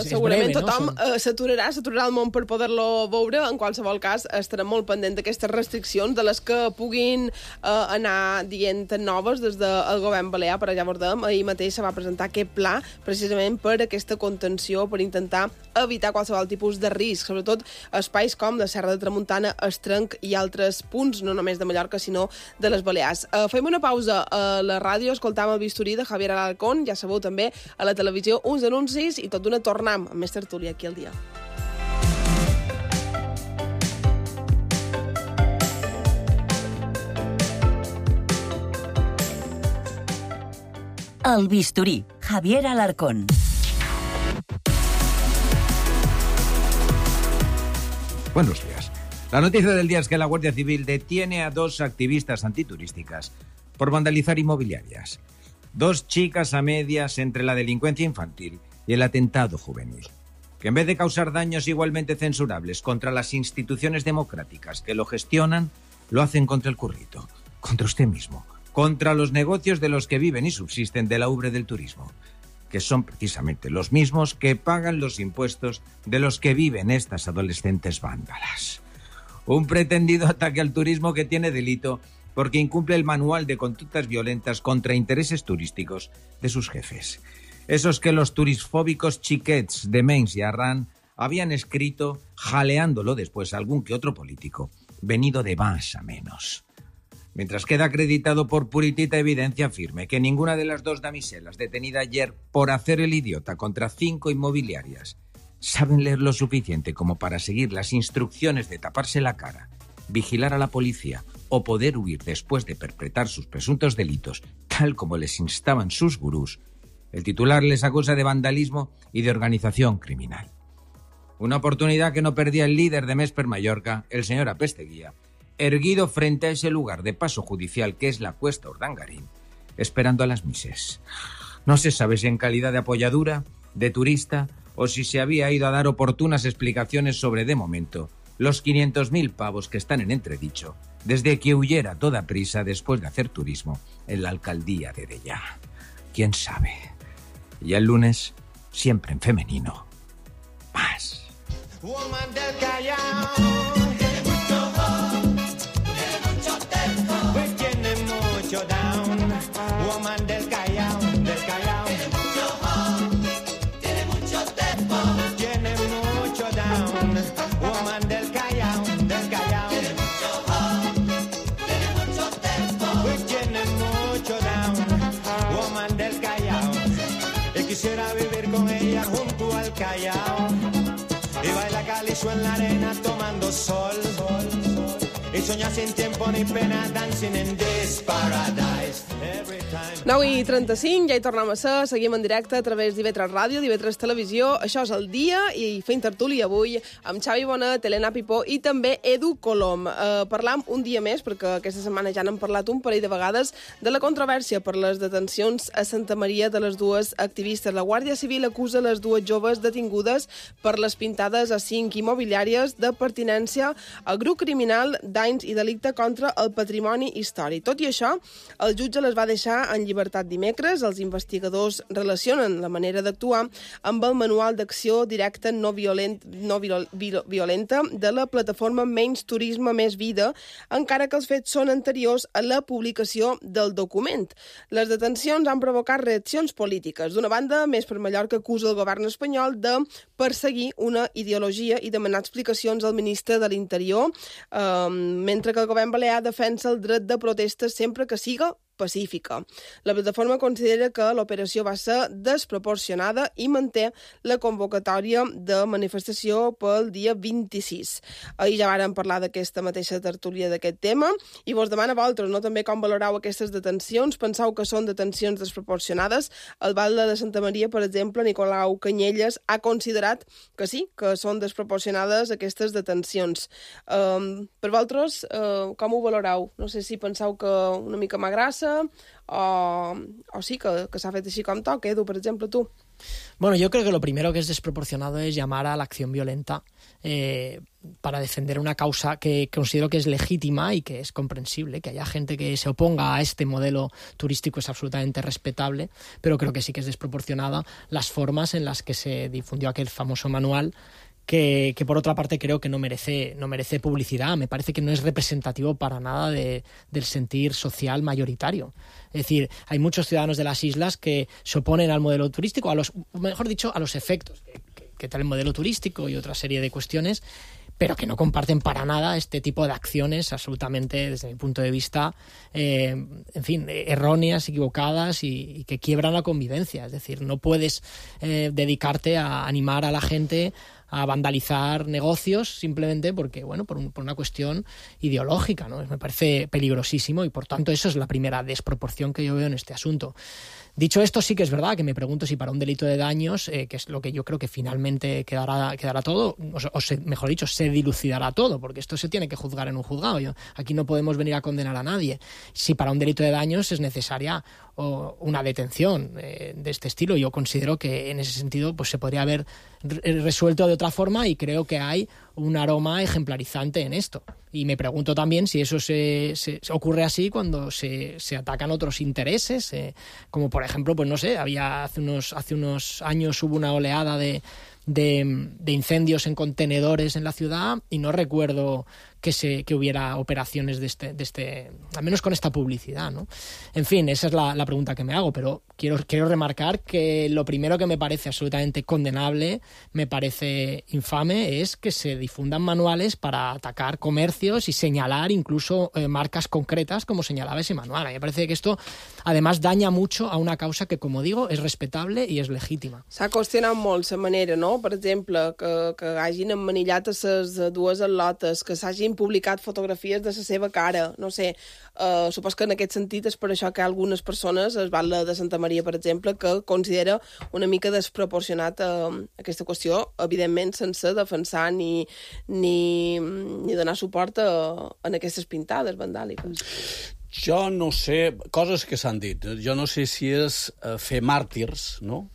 Speaker 1: segurament
Speaker 6: breve,
Speaker 1: tothom s'aturarà el món per poder-lo veure. En qualsevol cas, estarem molt pendent d'aquestes restriccions, de les que puguin anar dient noves des del govern balear, però ja veurem. Ahir mateix se va presentar aquest pla precisament per aquesta contenció, per intentar evitar qualsevol tipus de risc, sobretot espais com la Serra de Tramuntana, Estrenc i altres punts, no només de Mallorca, sinó de les Balears. Fem una pausa a la ràdio, escoltam el bisturí de Javier Alarcón, ja sabeu també a la televisió uns anuncis i tot d'una tornam amb més tertúlia aquí al dia.
Speaker 5: El bisturí, Javier Alarcón.
Speaker 9: Buenos días. La noticia del día es que la Guardia Civil detiene a 2 activistas antiturísticas por vandalizar inmobiliarias. 2 chicas a medias entre la delincuencia infantil y el atentado juvenil, que en vez de causar daños igualmente censurables contra las instituciones democráticas que lo gestionan, lo hacen contra el currito, contra usted mismo, contra los negocios de los que viven y subsisten de la ubre del turismo, que son precisamente los mismos que pagan los impuestos de los que viven estas adolescentes vándalas. Un pretendido ataque al turismo que tiene delito porque incumple el manual de conductas violentas contra intereses turísticos de sus jefes. Esos que los turisfóbicos chiquets de Menys y Arran habían escrito, jaleándolo después a algún que otro político, venido de más a menos. Mientras queda acreditado por puritita evidencia firme que ninguna de las 2 damiselas detenidas ayer por hacer el idiota contra 5 inmobiliarias saben leer lo suficiente como para seguir las instrucciones de taparse la cara, vigilar a la policía o poder huir después de perpetrar sus presuntos delitos, tal como les instaban sus gurús, el titular les acusa de vandalismo y de organización criminal. Una oportunidad que no perdía el líder de Més per Mallorca, el señor Apesteguía, erguido frente a ese lugar de paso judicial que es la Cuesta Urdangarín, esperando a las mises. No se sabe si en calidad de apoyadura, de turista, o si se había ido a dar oportunas explicaciones sobre, de momento, los 500.000 pavos que están en entredicho desde que huyera a toda prisa después de hacer turismo en la alcaldía de Dellà. ¿Quién sabe? Y el lunes, siempre en femenino, más.
Speaker 10: Woman del Callao, pues tiene mucho down. Woman del Callao, del Callao, Callao y baila calizo en la arena tomando sol y soñar sin tiempo ni pena dancing in this paradise.
Speaker 1: 9:35, ja hi tornem a ser, seguim en directe a través d'IV3 Ràdio, d'IV3 Televisió. Això és el dia i fem tertúlia avui amb Xavi Bonet, Helena Pipó i també Edu Colom. Parlam un dia més, perquè aquesta setmana ja n'hem parlat un parell de vegades, de la controvèrsia per les detencions a Santa Maria de les dues activistes. La Guàrdia Civil acusa les dues joves detingudes per les pintades a 5 immobiliàries de pertinença al grup criminal danys i delicte contra el patrimoni històric. Tot i això, el jutge les va deixar en llibertat dimecres. Els investigadors relacionen la manera d'actuar amb el manual d'acció directa no violenta de la plataforma Menys Turisme, Més Vida, encara que els fets són anteriors a la publicació del document. Les detencions han provocat reaccions polítiques. D'una banda, Més per Mallorca acusa el govern espanyol de perseguir una ideologia i demanar explicacions al ministre de l'Interior, mentre que el govern balear defensa el dret de protesta sempre que siga pacífica. La plataforma considera que l'operació va ser desproporcionada i manté la convocatòria de manifestació pel dia 26. Ahir ja vàrem parlar d'aquesta mateixa tertúlia d'aquest tema i vos demana a vosaltres, no, també com valorau aquestes detencions. Penseu que són detencions desproporcionades? El batlle de Santa Maria, per exemple, Nicolau Canyelles, ha considerat que sí, que són desproporcionades aquestes detencions. Per vosaltres, com ho valorau? No sé si penseu que una mica m'agrassa o sí, que s'ha fet així com toca. Edu, per ejemplo, tú.
Speaker 6: Bueno, yo creo que lo primero que es desproporcionado es llamar a la acción violenta para defender una causa que considero que es legítima y que es comprensible. Que haya gente que se oponga a este modelo turístico es absolutamente respetable, pero creo que sí que es desproporcionada las formas en las que se difundió aquel famoso manual que por otra parte creo que no merece publicidad. Me parece que no es representativo para nada del sentir social mayoritario. Es decir, hay muchos ciudadanos de las islas que se oponen al modelo turístico, a los efectos que trae el modelo turístico y otra serie de cuestiones, pero que no comparten para nada este tipo de acciones absolutamente, desde mi punto de vista, erróneas, equivocadas y que quiebran la convivencia. Es decir, no puedes dedicarte a animar a la gente a vandalizar negocios simplemente porque, bueno, por una cuestión ideológica, ¿no? Me parece peligrosísimo y, por tanto, eso es la primera desproporción que yo veo en este asunto. Dicho esto, sí que es verdad que me pregunto si para un delito de daños, que es lo que yo creo que finalmente quedará todo, mejor dicho, se dilucidará todo, porque esto se tiene que juzgar en un juzgado. Aquí no podemos venir a condenar a nadie. Si para un delito de daños es necesaria una detención de este estilo, yo considero que en ese sentido pues se podría haber resuelto de otra forma y creo que hay un aroma ejemplarizante en esto. Y me pregunto también si eso se ocurre así cuando se atacan otros intereses, como por ejemplo, pues no sé, hace unos años hubo una oleada de incendios en contenedores en la ciudad y no recuerdo que hubiera operaciones de este, al menos con esta publicidad, ¿no? En fin, esa es la pregunta que me hago, pero quiero remarcar que lo primero que me parece absolutamente condenable, me parece infame, es que se difundan manuales para atacar comercios y señalar incluso marcas concretas, como señalaba ese manual. A mí me parece que esto, además, daña mucho a una causa que, como digo, es respetable i és legítima.
Speaker 1: S'ha qüestionat molt la manera, no? Per exemple, que hagin emmanillat a les dues atletes, que s'hagin publicat fotografies de la seva cara, no sé. Supos que en aquest sentit és per això que hi ha algunes persones, el batlle de Santa Maria, per exemple, que considera una mica desproporcionat aquesta qüestió, evidentment sense defensar ni donar suport en aquestes pintades vandàliques.
Speaker 8: Jo no sé, coses que s'han dit, jo no sé si és fer màrtirs, no?,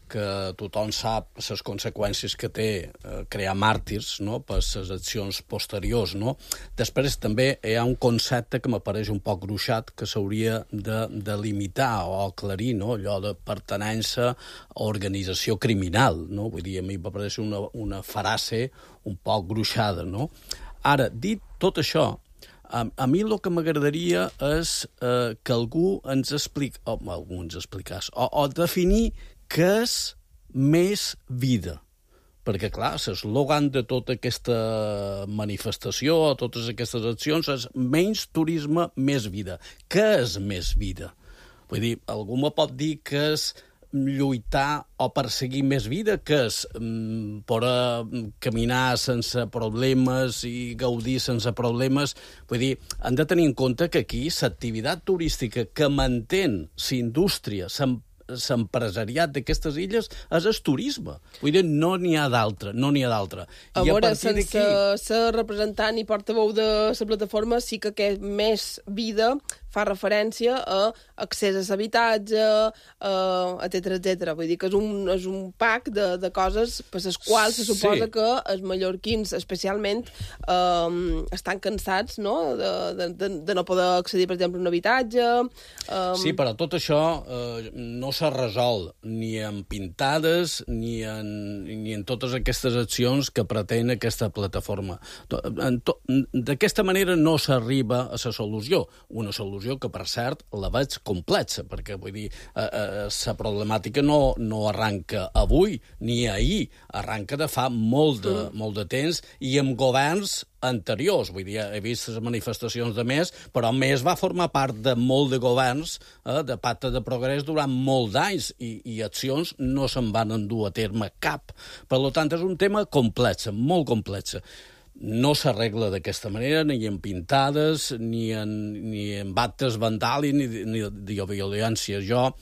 Speaker 8: que tothom sap les conseqüències que té crear màrtirs, no?, per les accions posteriors, no? Després també hi ha un concepte que m'apareix un poc gruixat que s'hauria de limitar o aclarir, no?, allò de pertenença a organització criminal, no? Vull dir, a mi m'apareix una frase un poc gruixada, no? Ara, dit tot això, a mi el que m'agradaria és que algú ens expliqués, o definir què és més vida. Perquè, clar, l'eslògan de tota aquesta manifestació, totes aquestes accions, és menys turisme, més vida. Què és més vida? Vull dir, algú me pot dir que és lluitar o perseguir més vida, que és poder caminar sense problemes i gaudir sense problemes. Vull dir, han de tenir en compte que aquí l'activitat turística que mantén l'indústria, l'empresariat d'aquestes illes és el turisme. Vull dir, no n'hi ha d'altre, no n'hi ha d'altre.
Speaker 1: A veure, sense ser representant i portaveu de la plataforma, sí que més vida fa referència a accés a l'habitatge, etc. Vull dir que és un pack de coses per les quals se suposa que els mallorquins, especialment, estan cansats, no?, de no poder accedir, per exemple, a un habitatge.
Speaker 8: Sí, però tot això no s'ha resolt ni en pintades ni en totes aquestes accions que pretén aquesta plataforma. D'aquesta manera no s'arriba a la solució. Una solució que, per cert, la veig complexa, perquè, vull dir, la problemàtica no arranca avui ni ahir, arranca de fa molt de temps i amb governs anteriors. Vull dir, he vist les manifestacions de MES, però MES va formar part de molt de governs, de Pacte de Progrés, durant molt d'anys, i accions no se'n van endur a terme cap. Per tant, és un tema complex, molt complex. No s'arregla d'aquesta manera, ni en pintades, ni en actes vandàlics, ni de violència. Jo,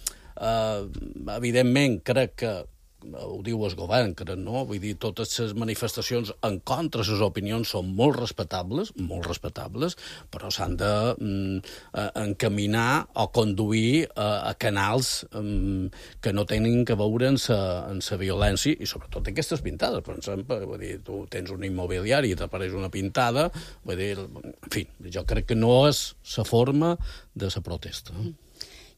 Speaker 8: evidentment, crec que ho diu el govern, crec, no? Vull dir, totes les manifestacions en contra de les opinions són molt respectables, però s'han d'encaminar o conduir a canals que no tenen que veure en la violència, i sobretot aquestes pintades. Per exemple, vull dir, tu tens un immobiliari i t'apareix una pintada, vull dir, en fi, jo crec que no és la forma de la protesta.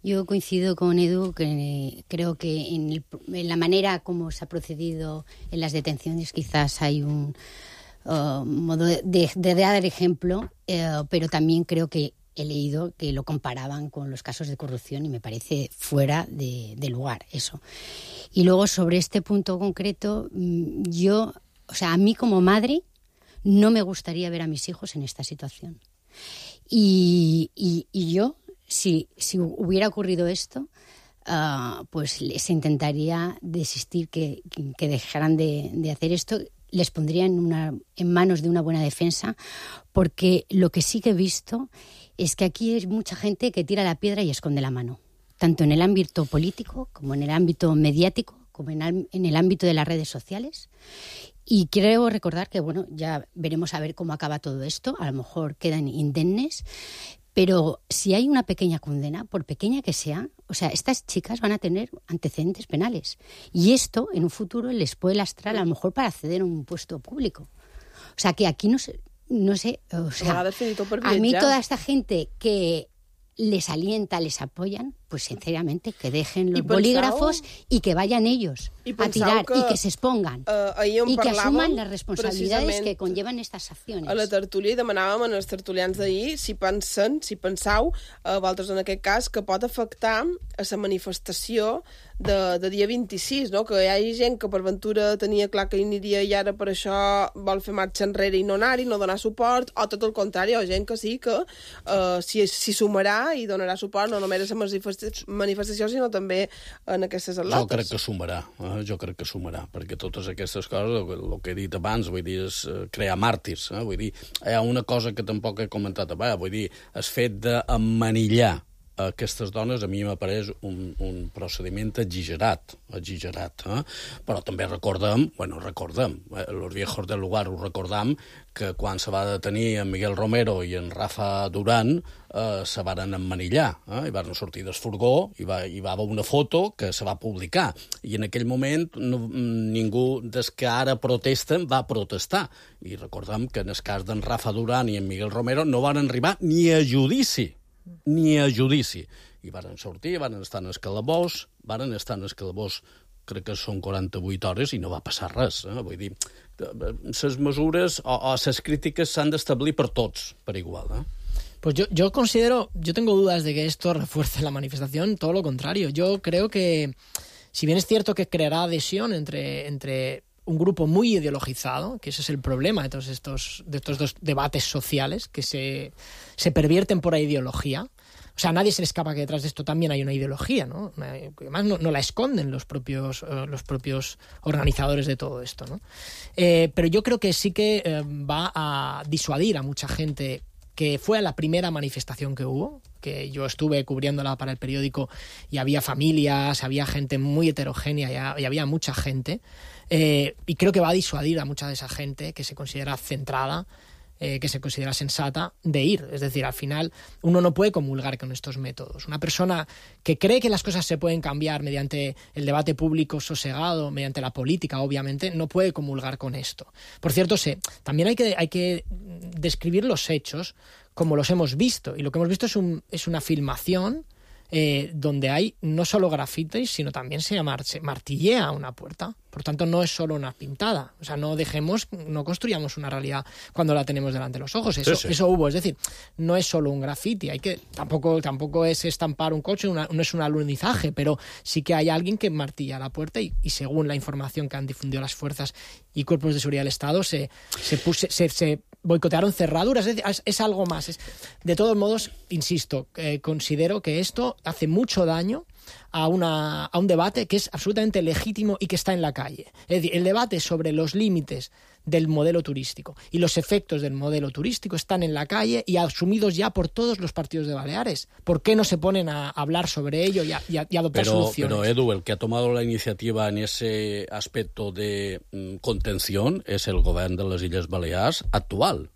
Speaker 7: Yo coincido con Edu, que creo que en la manera como se ha procedido en las detenciones quizás hay un modo de dar ejemplo, pero también creo que he leído que lo comparaban con los casos de corrupción y me parece fuera de lugar eso. Y luego sobre este punto concreto, a mí como madre no me gustaría ver a mis hijos en esta situación. Y yo, si hubiera ocurrido esto, pues les intentaría desistir, que dejaran de hacer esto. Les pondría en manos de una buena defensa, porque lo que sí que he visto es que aquí hay mucha gente que tira la piedra y esconde la mano, tanto en el ámbito político como en el ámbito mediático, como en el ámbito de las redes sociales. Y quiero recordar que, bueno, ya veremos a ver cómo acaba todo esto. A lo mejor quedan indemnes. Pero si hay una pequeña condena, por pequeña que sea, estas chicas van a tener antecedentes penales. Y esto, en un futuro, les puede lastrar a lo mejor para acceder a un puesto público. O sea, que aquí no sé, a mí toda esta gente que les alienta, les apoyan, pues sinceramente que dejen los bolígrafos y que vayan ellos a tirar y que se expongan y que asuman las responsabilidades que conllevan estas acciones.
Speaker 1: A la tertúlia demanàvem als tertulians d'ahir si pensau, vosaltres en aquest cas, que pot afectar a la manifestació de dia 26, no? Que hi hagi gent que per ventura tenia clar que hi aniria i ara per això vol fer marxa enrere i no anar-hi, no donar suport, o tot el contrari, o gent que sí que s'hi sumarà i donarà suport no només a la manifestació, sinó també en aquestes atletes.
Speaker 8: Jo crec que sumarà, perquè totes aquestes coses, el que he dit abans, vull dir, és crear màrtirs. Vull dir, hi ha una cosa que tampoc he comentat abans, vull dir, el fet d'emmanillar aquestes dones a mi m'apareix un procediment exagerat. Però també recordem, los viejos del lugar ho recordam, que quan se va detenir en Miguel Romero i en Rafa Durán se varen emmanillar, i van sortir del furgó i va haver una foto que se va publicar, i en aquell moment ningú des que ara protesten va protestar, i recordem que en el cas d'en Rafa Durán i en Miguel Romero no van arribar ni a judici, i varen sortir, varen estar en el calabós, crec que són 48 hores i no va passar res. Vull dir, les mesures o les crítiques s'han d'establir per tots, per igual.
Speaker 6: Pues yo tengo dudas de que esto refuerce la manifestación, todo lo contrario. Yo creo que, si bien es cierto que creará adhesión entre un grupo muy ideologizado, que ese es el problema de todos estos dos debates sociales, que se pervierten por la ideología. O sea, nadie se le escapa que detrás de esto también hay una ideología, ¿no? Además, no la esconden los propios organizadores de todo esto, ¿no? Pero yo creo que sí que va a disuadir a mucha gente que fue a la primera manifestación que hubo, que yo estuve cubriéndola para el periódico y había familias, había gente muy heterogénea y había mucha gente. Y creo que va a disuadir a mucha de esa gente que se considera centrada, que se considera sensata, de ir. Es decir, al final uno no puede comulgar con estos métodos. Una persona que cree que las cosas se pueden cambiar mediante el debate público sosegado, mediante la política, obviamente, no puede comulgar con esto. Por cierto, también hay que describir los hechos como los hemos visto. Y lo que hemos visto es una filmación donde hay no solo grafitis, sino también se martillea una puerta. Por tanto, no es solo una pintada. O sea, no construyamos una realidad cuando la tenemos delante de los ojos. Eso hubo. Es decir, no es solo un grafiti. Tampoco es estampar un coche, no es un alunizaje, pero sí que hay alguien que martilla la puerta y según la información que han difundido las fuerzas y cuerpos de seguridad del Estado, se boicotearon cerraduras. Es algo más. De todos modos, insisto, considero que esto hace mucho daño a un debate que es absolutamente legítimo y que está en la calle. Es decir, el debate sobre los límites del modelo turístico y los efectos del modelo turístico están en la calle y asumidos ya por todos los partidos de Baleares. ¿Por qué no se ponen a hablar sobre ello y a adoptar soluciones?
Speaker 8: Pero Edu, el que ha tomado la iniciativa en ese aspecto de contención es el gobierno de las Illes Baleares actual.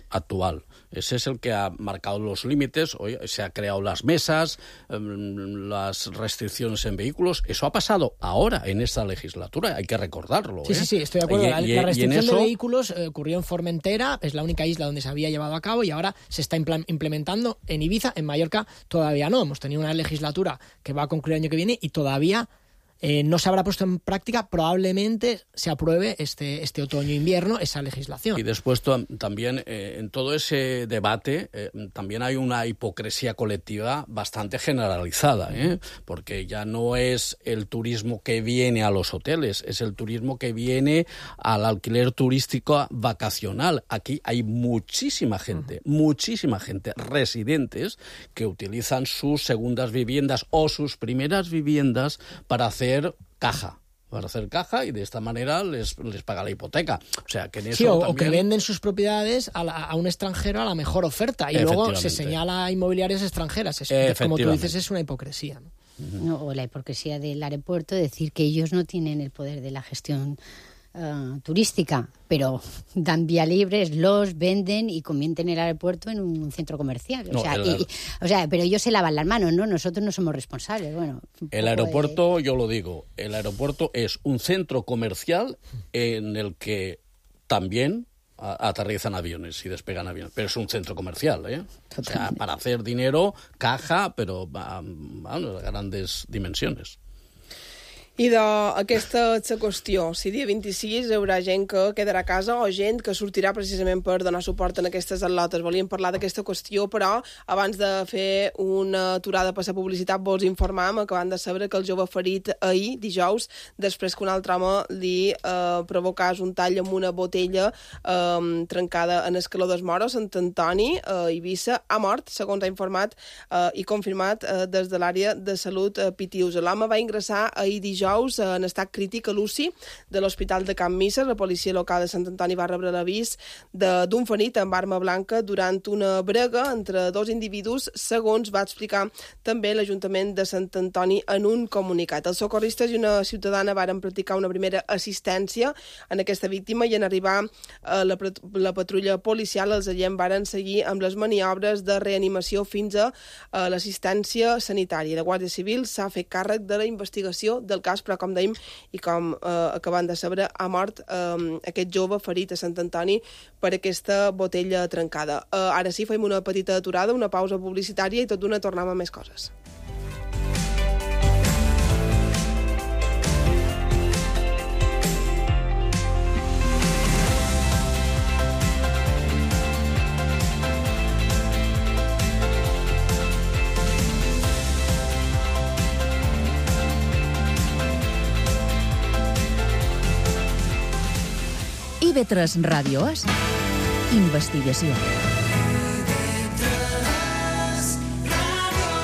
Speaker 8: Actual. Ese es el que ha marcado los límites, se ha creado las mesas, las restricciones en vehículos. Eso ha pasado ahora, en esta legislatura, hay que recordarlo.
Speaker 6: Sí, estoy de acuerdo. La restricción de vehículos ocurrió en Formentera, es la única isla donde se había llevado a cabo y ahora se está implementando en Ibiza. En Mallorca todavía no. Hemos tenido una legislatura que va a concluir el año que viene y todavía no se habrá puesto en práctica. Probablemente se apruebe este otoño-invierno esa legislación.
Speaker 8: Y después también en todo ese debate también hay una hipocresía colectiva bastante generalizada, porque ya no es el turismo que viene a los hoteles, es el turismo que viene al alquiler turístico vacacional. Aquí hay muchísima gente, residentes que utilizan sus segundas viviendas o sus primeras viviendas para hacer caja y de esta manera les paga la hipoteca. O sea, que en eso
Speaker 6: o que venden sus propiedades a un extranjero a la mejor oferta y luego se señala a inmobiliarias extranjeras. Como tú dices, es una hipocresía, ¿no?
Speaker 7: O la hipocresía del aeropuerto, decir que ellos no tienen el poder de la gestión turística, pero dan vía libres, los venden y convierten el aeropuerto en un centro comercial. Pero ellos se lavan las manos, ¿no? Nosotros no somos responsables. Bueno,
Speaker 8: el aeropuerto, yo lo digo, el aeropuerto es un centro comercial en el que también aterrizan aviones y despegan aviones, pero es un centro comercial, O sea, para hacer dinero, caja, pero de grandes dimensiones.
Speaker 1: I aquesta és la qüestió. Si dia 26 hi haurà gent que quedarà a casa o gent que sortirà precisament per donar suport en aquestes atletes. Volíem parlar d'aquesta qüestió, però abans de fer una aturada per la publicitat vos informàvem, acabant de saber que el jove ferit ahir, dijous, després que un altre home li provocàs un tall amb una botella trencada en Escaladors Moro, Sant Antoni, a Eivissa, ha mort, segons ha informat i confirmat des de l'àrea de salut Pitius. L'home va ingressar ahir dijous en estat crític a l'UCI de l'Hospital de Can Misser. La policia local de Sant Antoni va rebre l'avís d'un ferit amb arma blanca durant una brega entre dos individus, segons va explicar també l'Ajuntament de Sant Antoni en un comunicat. Els socorristes i una ciutadana varen practicar una primera assistència en aquesta víctima i en arribar la patrulla policial els agents varen seguir amb les maniobres de reanimació fins a l'assistència sanitària. La Guàrdia Civil s'ha fet càrrec de la investigació del cas, però com dèiem i com acabant de saber, ha mort aquest jove ferit a Sant Antoni per aquesta botella trencada. Ara sí, fem una petita aturada, una pausa publicitària i tot d'una tornem a més coses.
Speaker 5: IB3 Ràdio és investigació.
Speaker 4: IB3 Ràdio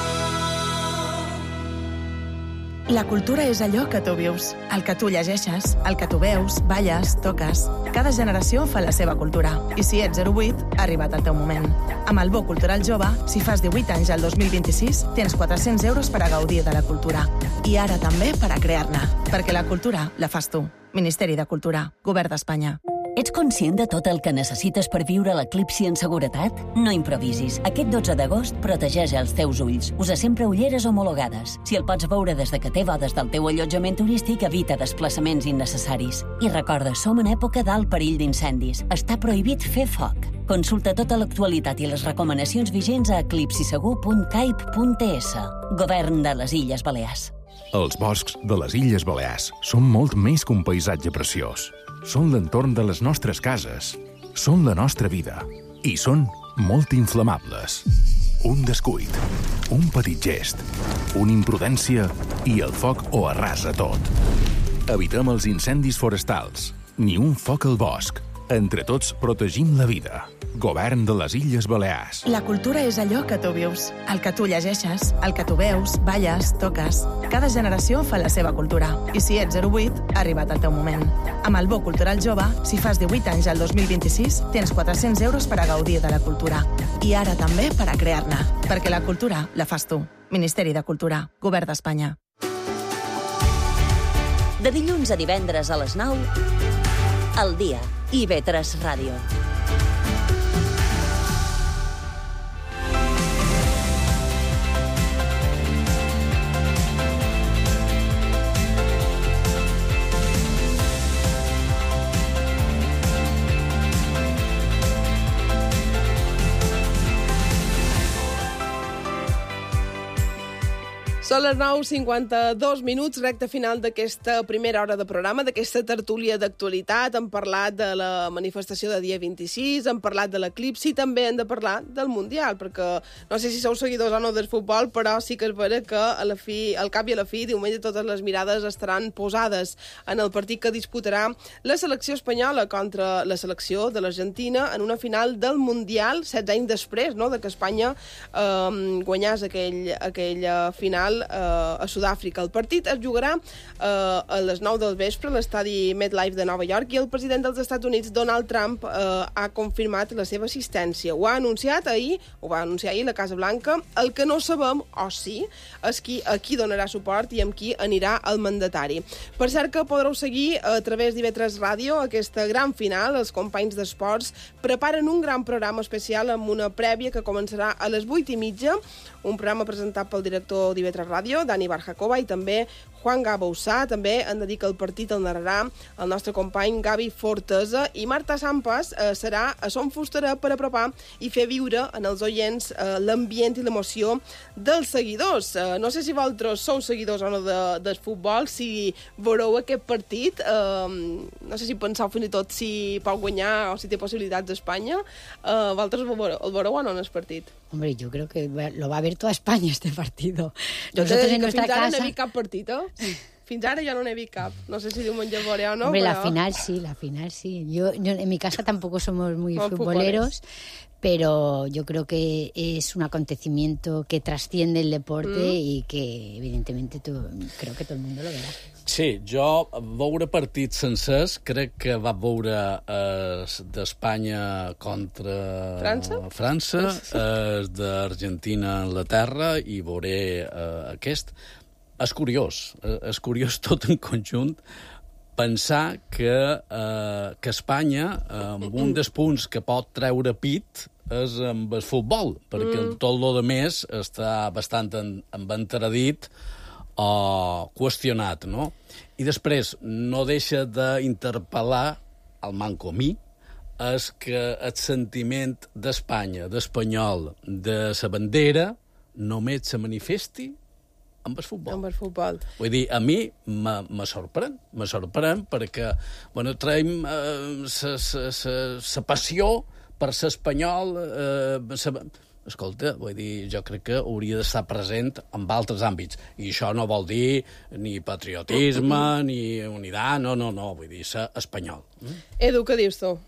Speaker 11: La cultura és allò que tu vius, el que tu llegeixes, el que tu veus, balles, toques. Cada generació fa la seva cultura. I si ets 08, ha arribat el teu moment. Amb el Bo Cultural Jove, si fas 18 anys al 2026, tens 400 euros per a gaudir de la cultura. I ara també per a crear-ne. Perquè la cultura la fas tu. Ministeri de Cultura, Govern d'Espanya.
Speaker 12: Ets conscient de tot el que necessites per viure l'eclipsi en seguretat? No improvisis. Aquest 12 d'agost protegeix els teus ulls. Usa sempre ulleres homologades. Si el pots veure des de que té bodes del teu allotjament turístic, evita desplaçaments innecessaris. I recorda, som en època d'alt perill d'incendis. Està prohibit fer foc. Consulta tota l'actualitat i les recomanacions vigents a eclipsisegur.caip.es. Govern de les Illes Balears.
Speaker 13: Els boscs de les Illes Balears són molt més que un paisatge preciós. Són l'entorn de les nostres cases. Són la nostra vida. I són molt inflamables. Un descuit, un petit gest, una imprudència i el foc ho arrasa tot. Evitem els incendis forestals. Ni un foc al bosc. Entre tots protegim la vida. Govern de les Illes Balears.
Speaker 11: La cultura és allò que tu vius, el que tu llegeixes, el que tu veus, balles, toques. Cada generació fa la seva cultura. I si ets 08, ha arribat el teu moment. Amb el Bo Cultural Jove, si fas 18 anys al 2026, tens 400 euros per a gaudir de la cultura. I ara també per a crear-ne. Perquè la cultura la fas tu. Ministeri de Cultura, Govern d'Espanya.
Speaker 12: De dilluns a divendres a les 9, al dia, IB3 Ràdio.
Speaker 1: Són les 9:52 minuts, recta final d'aquesta primera hora de programa, d'aquesta tertúlia d'actualitat. Hem parlat de la manifestació de dia 26, hem parlat de l'eclipsi, també hem de parlar del Mundial, perquè no sé si sou seguidors o no del futbol, però sí que és vera que al cap i a la fi, diumenge, totes les mirades estaran posades en el partit que disputarà la selecció espanyola contra la selecció de l'Argentina en una final del Mundial, 16 anys després, no?, de que Espanya guanyés aquella final a Sud-àfrica. El partit es jugarà a les 9 del vespre a l'estadi MetLife de Nova York i el president dels Estats Units, Donald Trump, ha confirmat la seva assistència. Ho va anunciar ahir la Casa Blanca. El que no sabem, o sí, és a qui donarà suport i amb qui anirà el mandatari. Per cert que podreu seguir a través d'IB3 Ràdio aquesta gran final. Els companys d'esports preparen un gran programa especial amb una prèvia que començarà a les 8:30, un programa presentat pel director d'IB3 Ràdio, Dani Barjacoba, i també Juan Gabousà. També han de dir que el partit el narrarà el nostre company Gavi Fortesa, i Marta Sampas serà a Son Fusterà per apropar i fer viure en els oients l'ambient i l'emoció dels seguidors. No sé si vosaltres sou seguidors o no del futbol, si veureu aquest partit, no sé si penseu fins i tot si pot guanyar o si té possibilitats d'Espanya. Vosaltres el veureu o no en el partit?
Speaker 7: Hombre, yo creo que lo va a ver toda España este partido.
Speaker 1: Nosotros en nuestra casa... Fins ara no he vist cap partit, eh? Fins ara jo no n'he vist cap. No sé si diumenge veuré o no,
Speaker 7: Hombre,
Speaker 1: pero...
Speaker 7: la final sí. Yo en mi casa tampoco somos muy futboleros, pero yo creo que es un acontecimiento que trasciende el deporte y que, evidentemente, creo que todo el mundo lo verá.
Speaker 8: Sí, jo veure partits sencers crec que va veure d'Espanya contra França, d'Argentina a Anglaterra, i veuré aquest. És curiós tot en conjunt pensar que Espanya, amb un dels punts que pot treure pit, és amb el futbol, perquè tot el més està bastant entradit o qüestionat, no? I després no deixa d'interpel·lar el mancomí, és que el sentiment d'Espanya, d'espanyol, de sa bandera, només se manifesti amb el futbol.
Speaker 1: Amb el futbol.
Speaker 8: Vull dir, a mi me sorprèn perquè, bueno, traiem sa passió per ser espanyol, escolta, vull dir, jo crec que hauria d'estar present en altres àmbits. I això no vol dir ni patriotisme, ni unitat, no, vull dir, ser espanyol.
Speaker 1: Edu, què dius tu?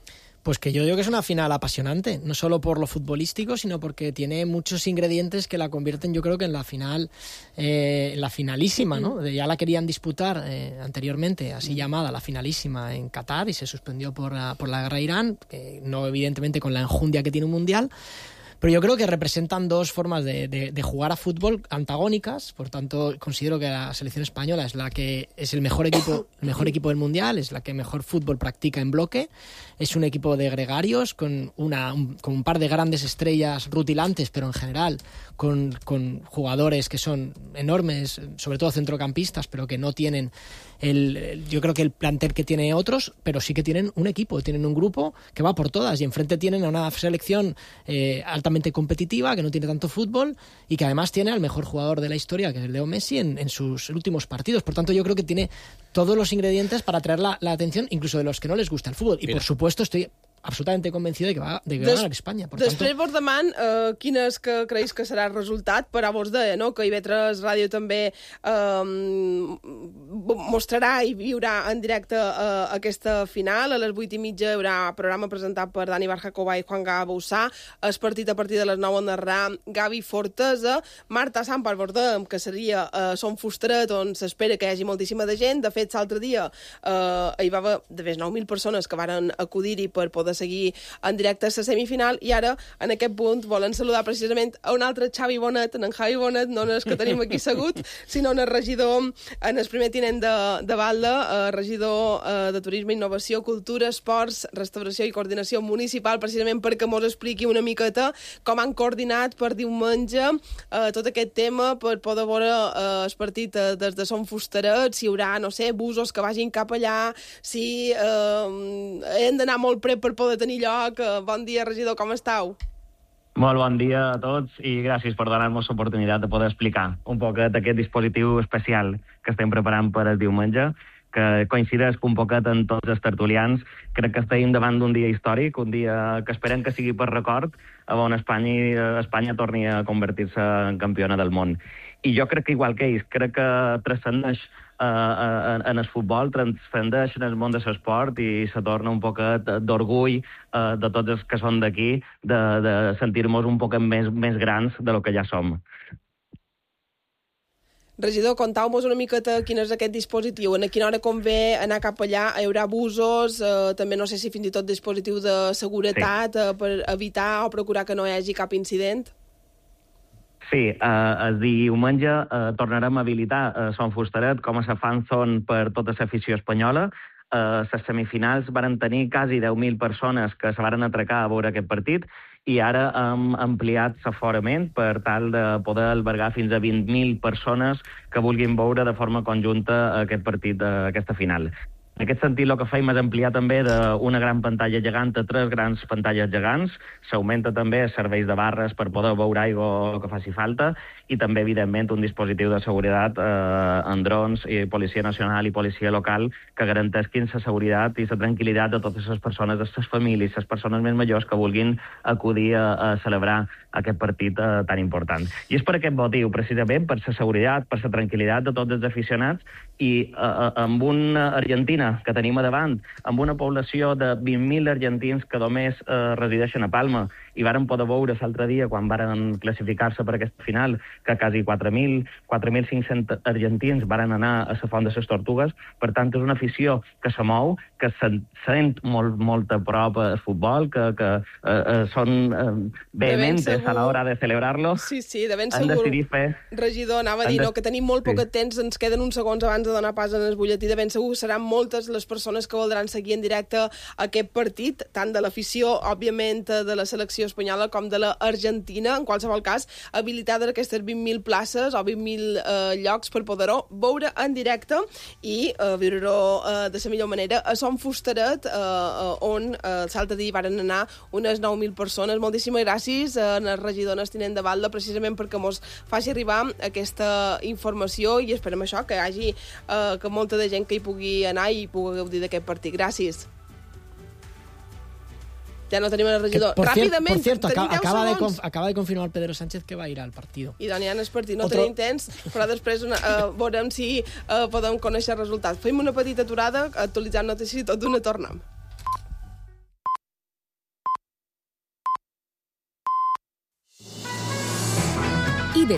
Speaker 6: Pues que yo digo que es una final apasionante, no solo por lo futbolístico, sino porque tiene muchos ingredientes que la convierten, yo creo que en la final, la finalísima, ¿no? Ya la querían disputar anteriormente, así llamada, la finalísima en Qatar, y se suspendió por la guerra de Irán, que no evidentemente con la enjundia que tiene un mundial. Pero yo creo que representan dos formas de jugar a fútbol antagónicas. Por tanto, considero que la selección española es la que es el mejor equipo del mundial, es la que mejor fútbol practica en bloque. Es un equipo de gregarios con un par de grandes estrellas rutilantes, pero en general con jugadores que son enormes, sobre todo centrocampistas, pero que no tienen yo creo que el plantel que tiene otros, pero sí que tienen un equipo, tienen un grupo que va por todas, y enfrente tienen a una selección altamente competitiva, que no tiene tanto fútbol y que además tiene al mejor jugador de la historia, que es Leo Messi, en sus últimos partidos. Por tanto, yo creo que tiene todos los ingredientes para atraer la atención, incluso de los que no les gusta el fútbol. Y por supuesto estoy absolutament convencido de que va ganar Espanya.
Speaker 1: Després vos deman quin és que creus que serà el resultat, però vos deia, no?, que IB3 Ràdio també mostrarà i viurà en directe aquesta final. A les 8:30 hi haurà programa presentat per Dani Barjacova i Juan Gaboussà. El partit a partir de les 9 en narrarà Gavi Fortesa. Marta Sampar vos dèiem que seria Son Fusteret, on s'espera que hi hagi moltíssima de gent. De fet, l'altre dia hi va haver de més 9.000 persones que varen acudir-hi per poder seguir en directe a la semifinal, i ara, en aquest punt, volen saludar precisament a un altre Xavi Bonet, en Javi Bonet, no és que tenim aquí segut, sinó en el regidor, en el primer tinent de Balda, regidor de Turisme, Innovació, Cultura, Esports, Restauració i Coordinació Municipal, precisament perquè mos expliqui una miqueta com han coordinat per diumenge tot aquest tema, per poder veure el partit des de Son Fusteret, si hi haurà, no sé, busos que vagin cap allà, si hem d'anar molt prep per poder tenir lloc. Bon dia, regidor, com esteu?
Speaker 14: Molt bon dia a tots i gràcies per donar-nos l'oportunitat de poder explicar un poquet aquest dispositiu especial que estem preparant per el diumenge, que coincideix un poquet en tots els tertulians. Crec que estem davant d'un dia històric, un dia que esperem que sigui per record, on Espanya torni a convertir-se en campiona del món. I jo crec que, igual que ells, crec que transcendeix en el futbol, transcendeix en el món de l'esport i se torna un poquet d'orgull de tots els que són d'aquí, de sentir-nos un poquet més grans de lo que ja som.
Speaker 1: Regidor, contau-nos una miqueta quin és aquest dispositiu, a quina hora convé anar cap allà, hi haurà busos, també no sé si fins i tot dispositiu de seguretat per evitar o procurar que no hi hagi cap incident.
Speaker 14: Sí, el diumenge tornarem a habilitar Son Fusteret com a la fan zone per tota l'afició espanyola. Les semifinals van tenir quasi 10.000 persones que se van atracar a veure aquest partit i ara hem ampliat l'aforament per tal de poder albergar fins a 20.000 persones que vulguin veure de forma conjunta aquest partit, aquesta final. En aquest sentit, el que fem és ampliar també d'una gran pantalla gegant a 3 grans pantalles gegants. S'augmenta també els serveis de barres per poder beure aigua que faci falta i també, evidentment, un dispositiu de seguretat en drons, i Policia Nacional i Policia Local que garanteixin la seguretat i la tranquil·litat de totes les persones, de les famílies, les persones més majors que vulguin acudir a celebrar aquest partit tan important. I és per aquest motiu, precisament, per la seguretat, per la tranquil·litat de tots els aficionats i amb una Argentina que tenim a davant, amb una població de 20.000 argentins que només resideixen a Palma i varen poder veure l'altre dia, quan varen classificar-se per aquesta final, que quasi 4.500 argentins varen anar a la Font de les Tortugues. Per tant, és una afició que se mou, que se sent molt a prop al futbol, que són vehementes a l'hora de celebrar-lo.
Speaker 1: Sí, de ben segur. Regidor, anava a dir que tenim molt poc temps, ens queden uns segons abans de donar pas en el butlletí. De ben segur seran moltes les persones que voldran seguir en directe aquest partit, tant de l'afició, òbviament, de la selecció espanyola com de l'Argentina. En qualsevol cas, habilitada aquestes 20.000 places o 20.000 llocs per poder-ho veure en directe i viure-ho de la millor manera a Son Fusteret, on l'altre dia varen anar unes 9.000 persones. Moltíssimes gràcies al regidor tinent de Balda, precisament perquè mos faci arribar aquesta informació i esperem això, que hi hagi que molta de gent que hi pugui anar i pugui gaudir d'aquest partit. Gràcies. Ya no tenim el regidor. Rápidamente.
Speaker 6: Por cierto, acaba de confirmar Pedro Sánchez que va a ir al partido.
Speaker 1: I Dani, el partit no tenim temps, però després veurem si podem conèixer el resultat. Fem una petita aturada, actualitzant notícies i tot d'una tornem.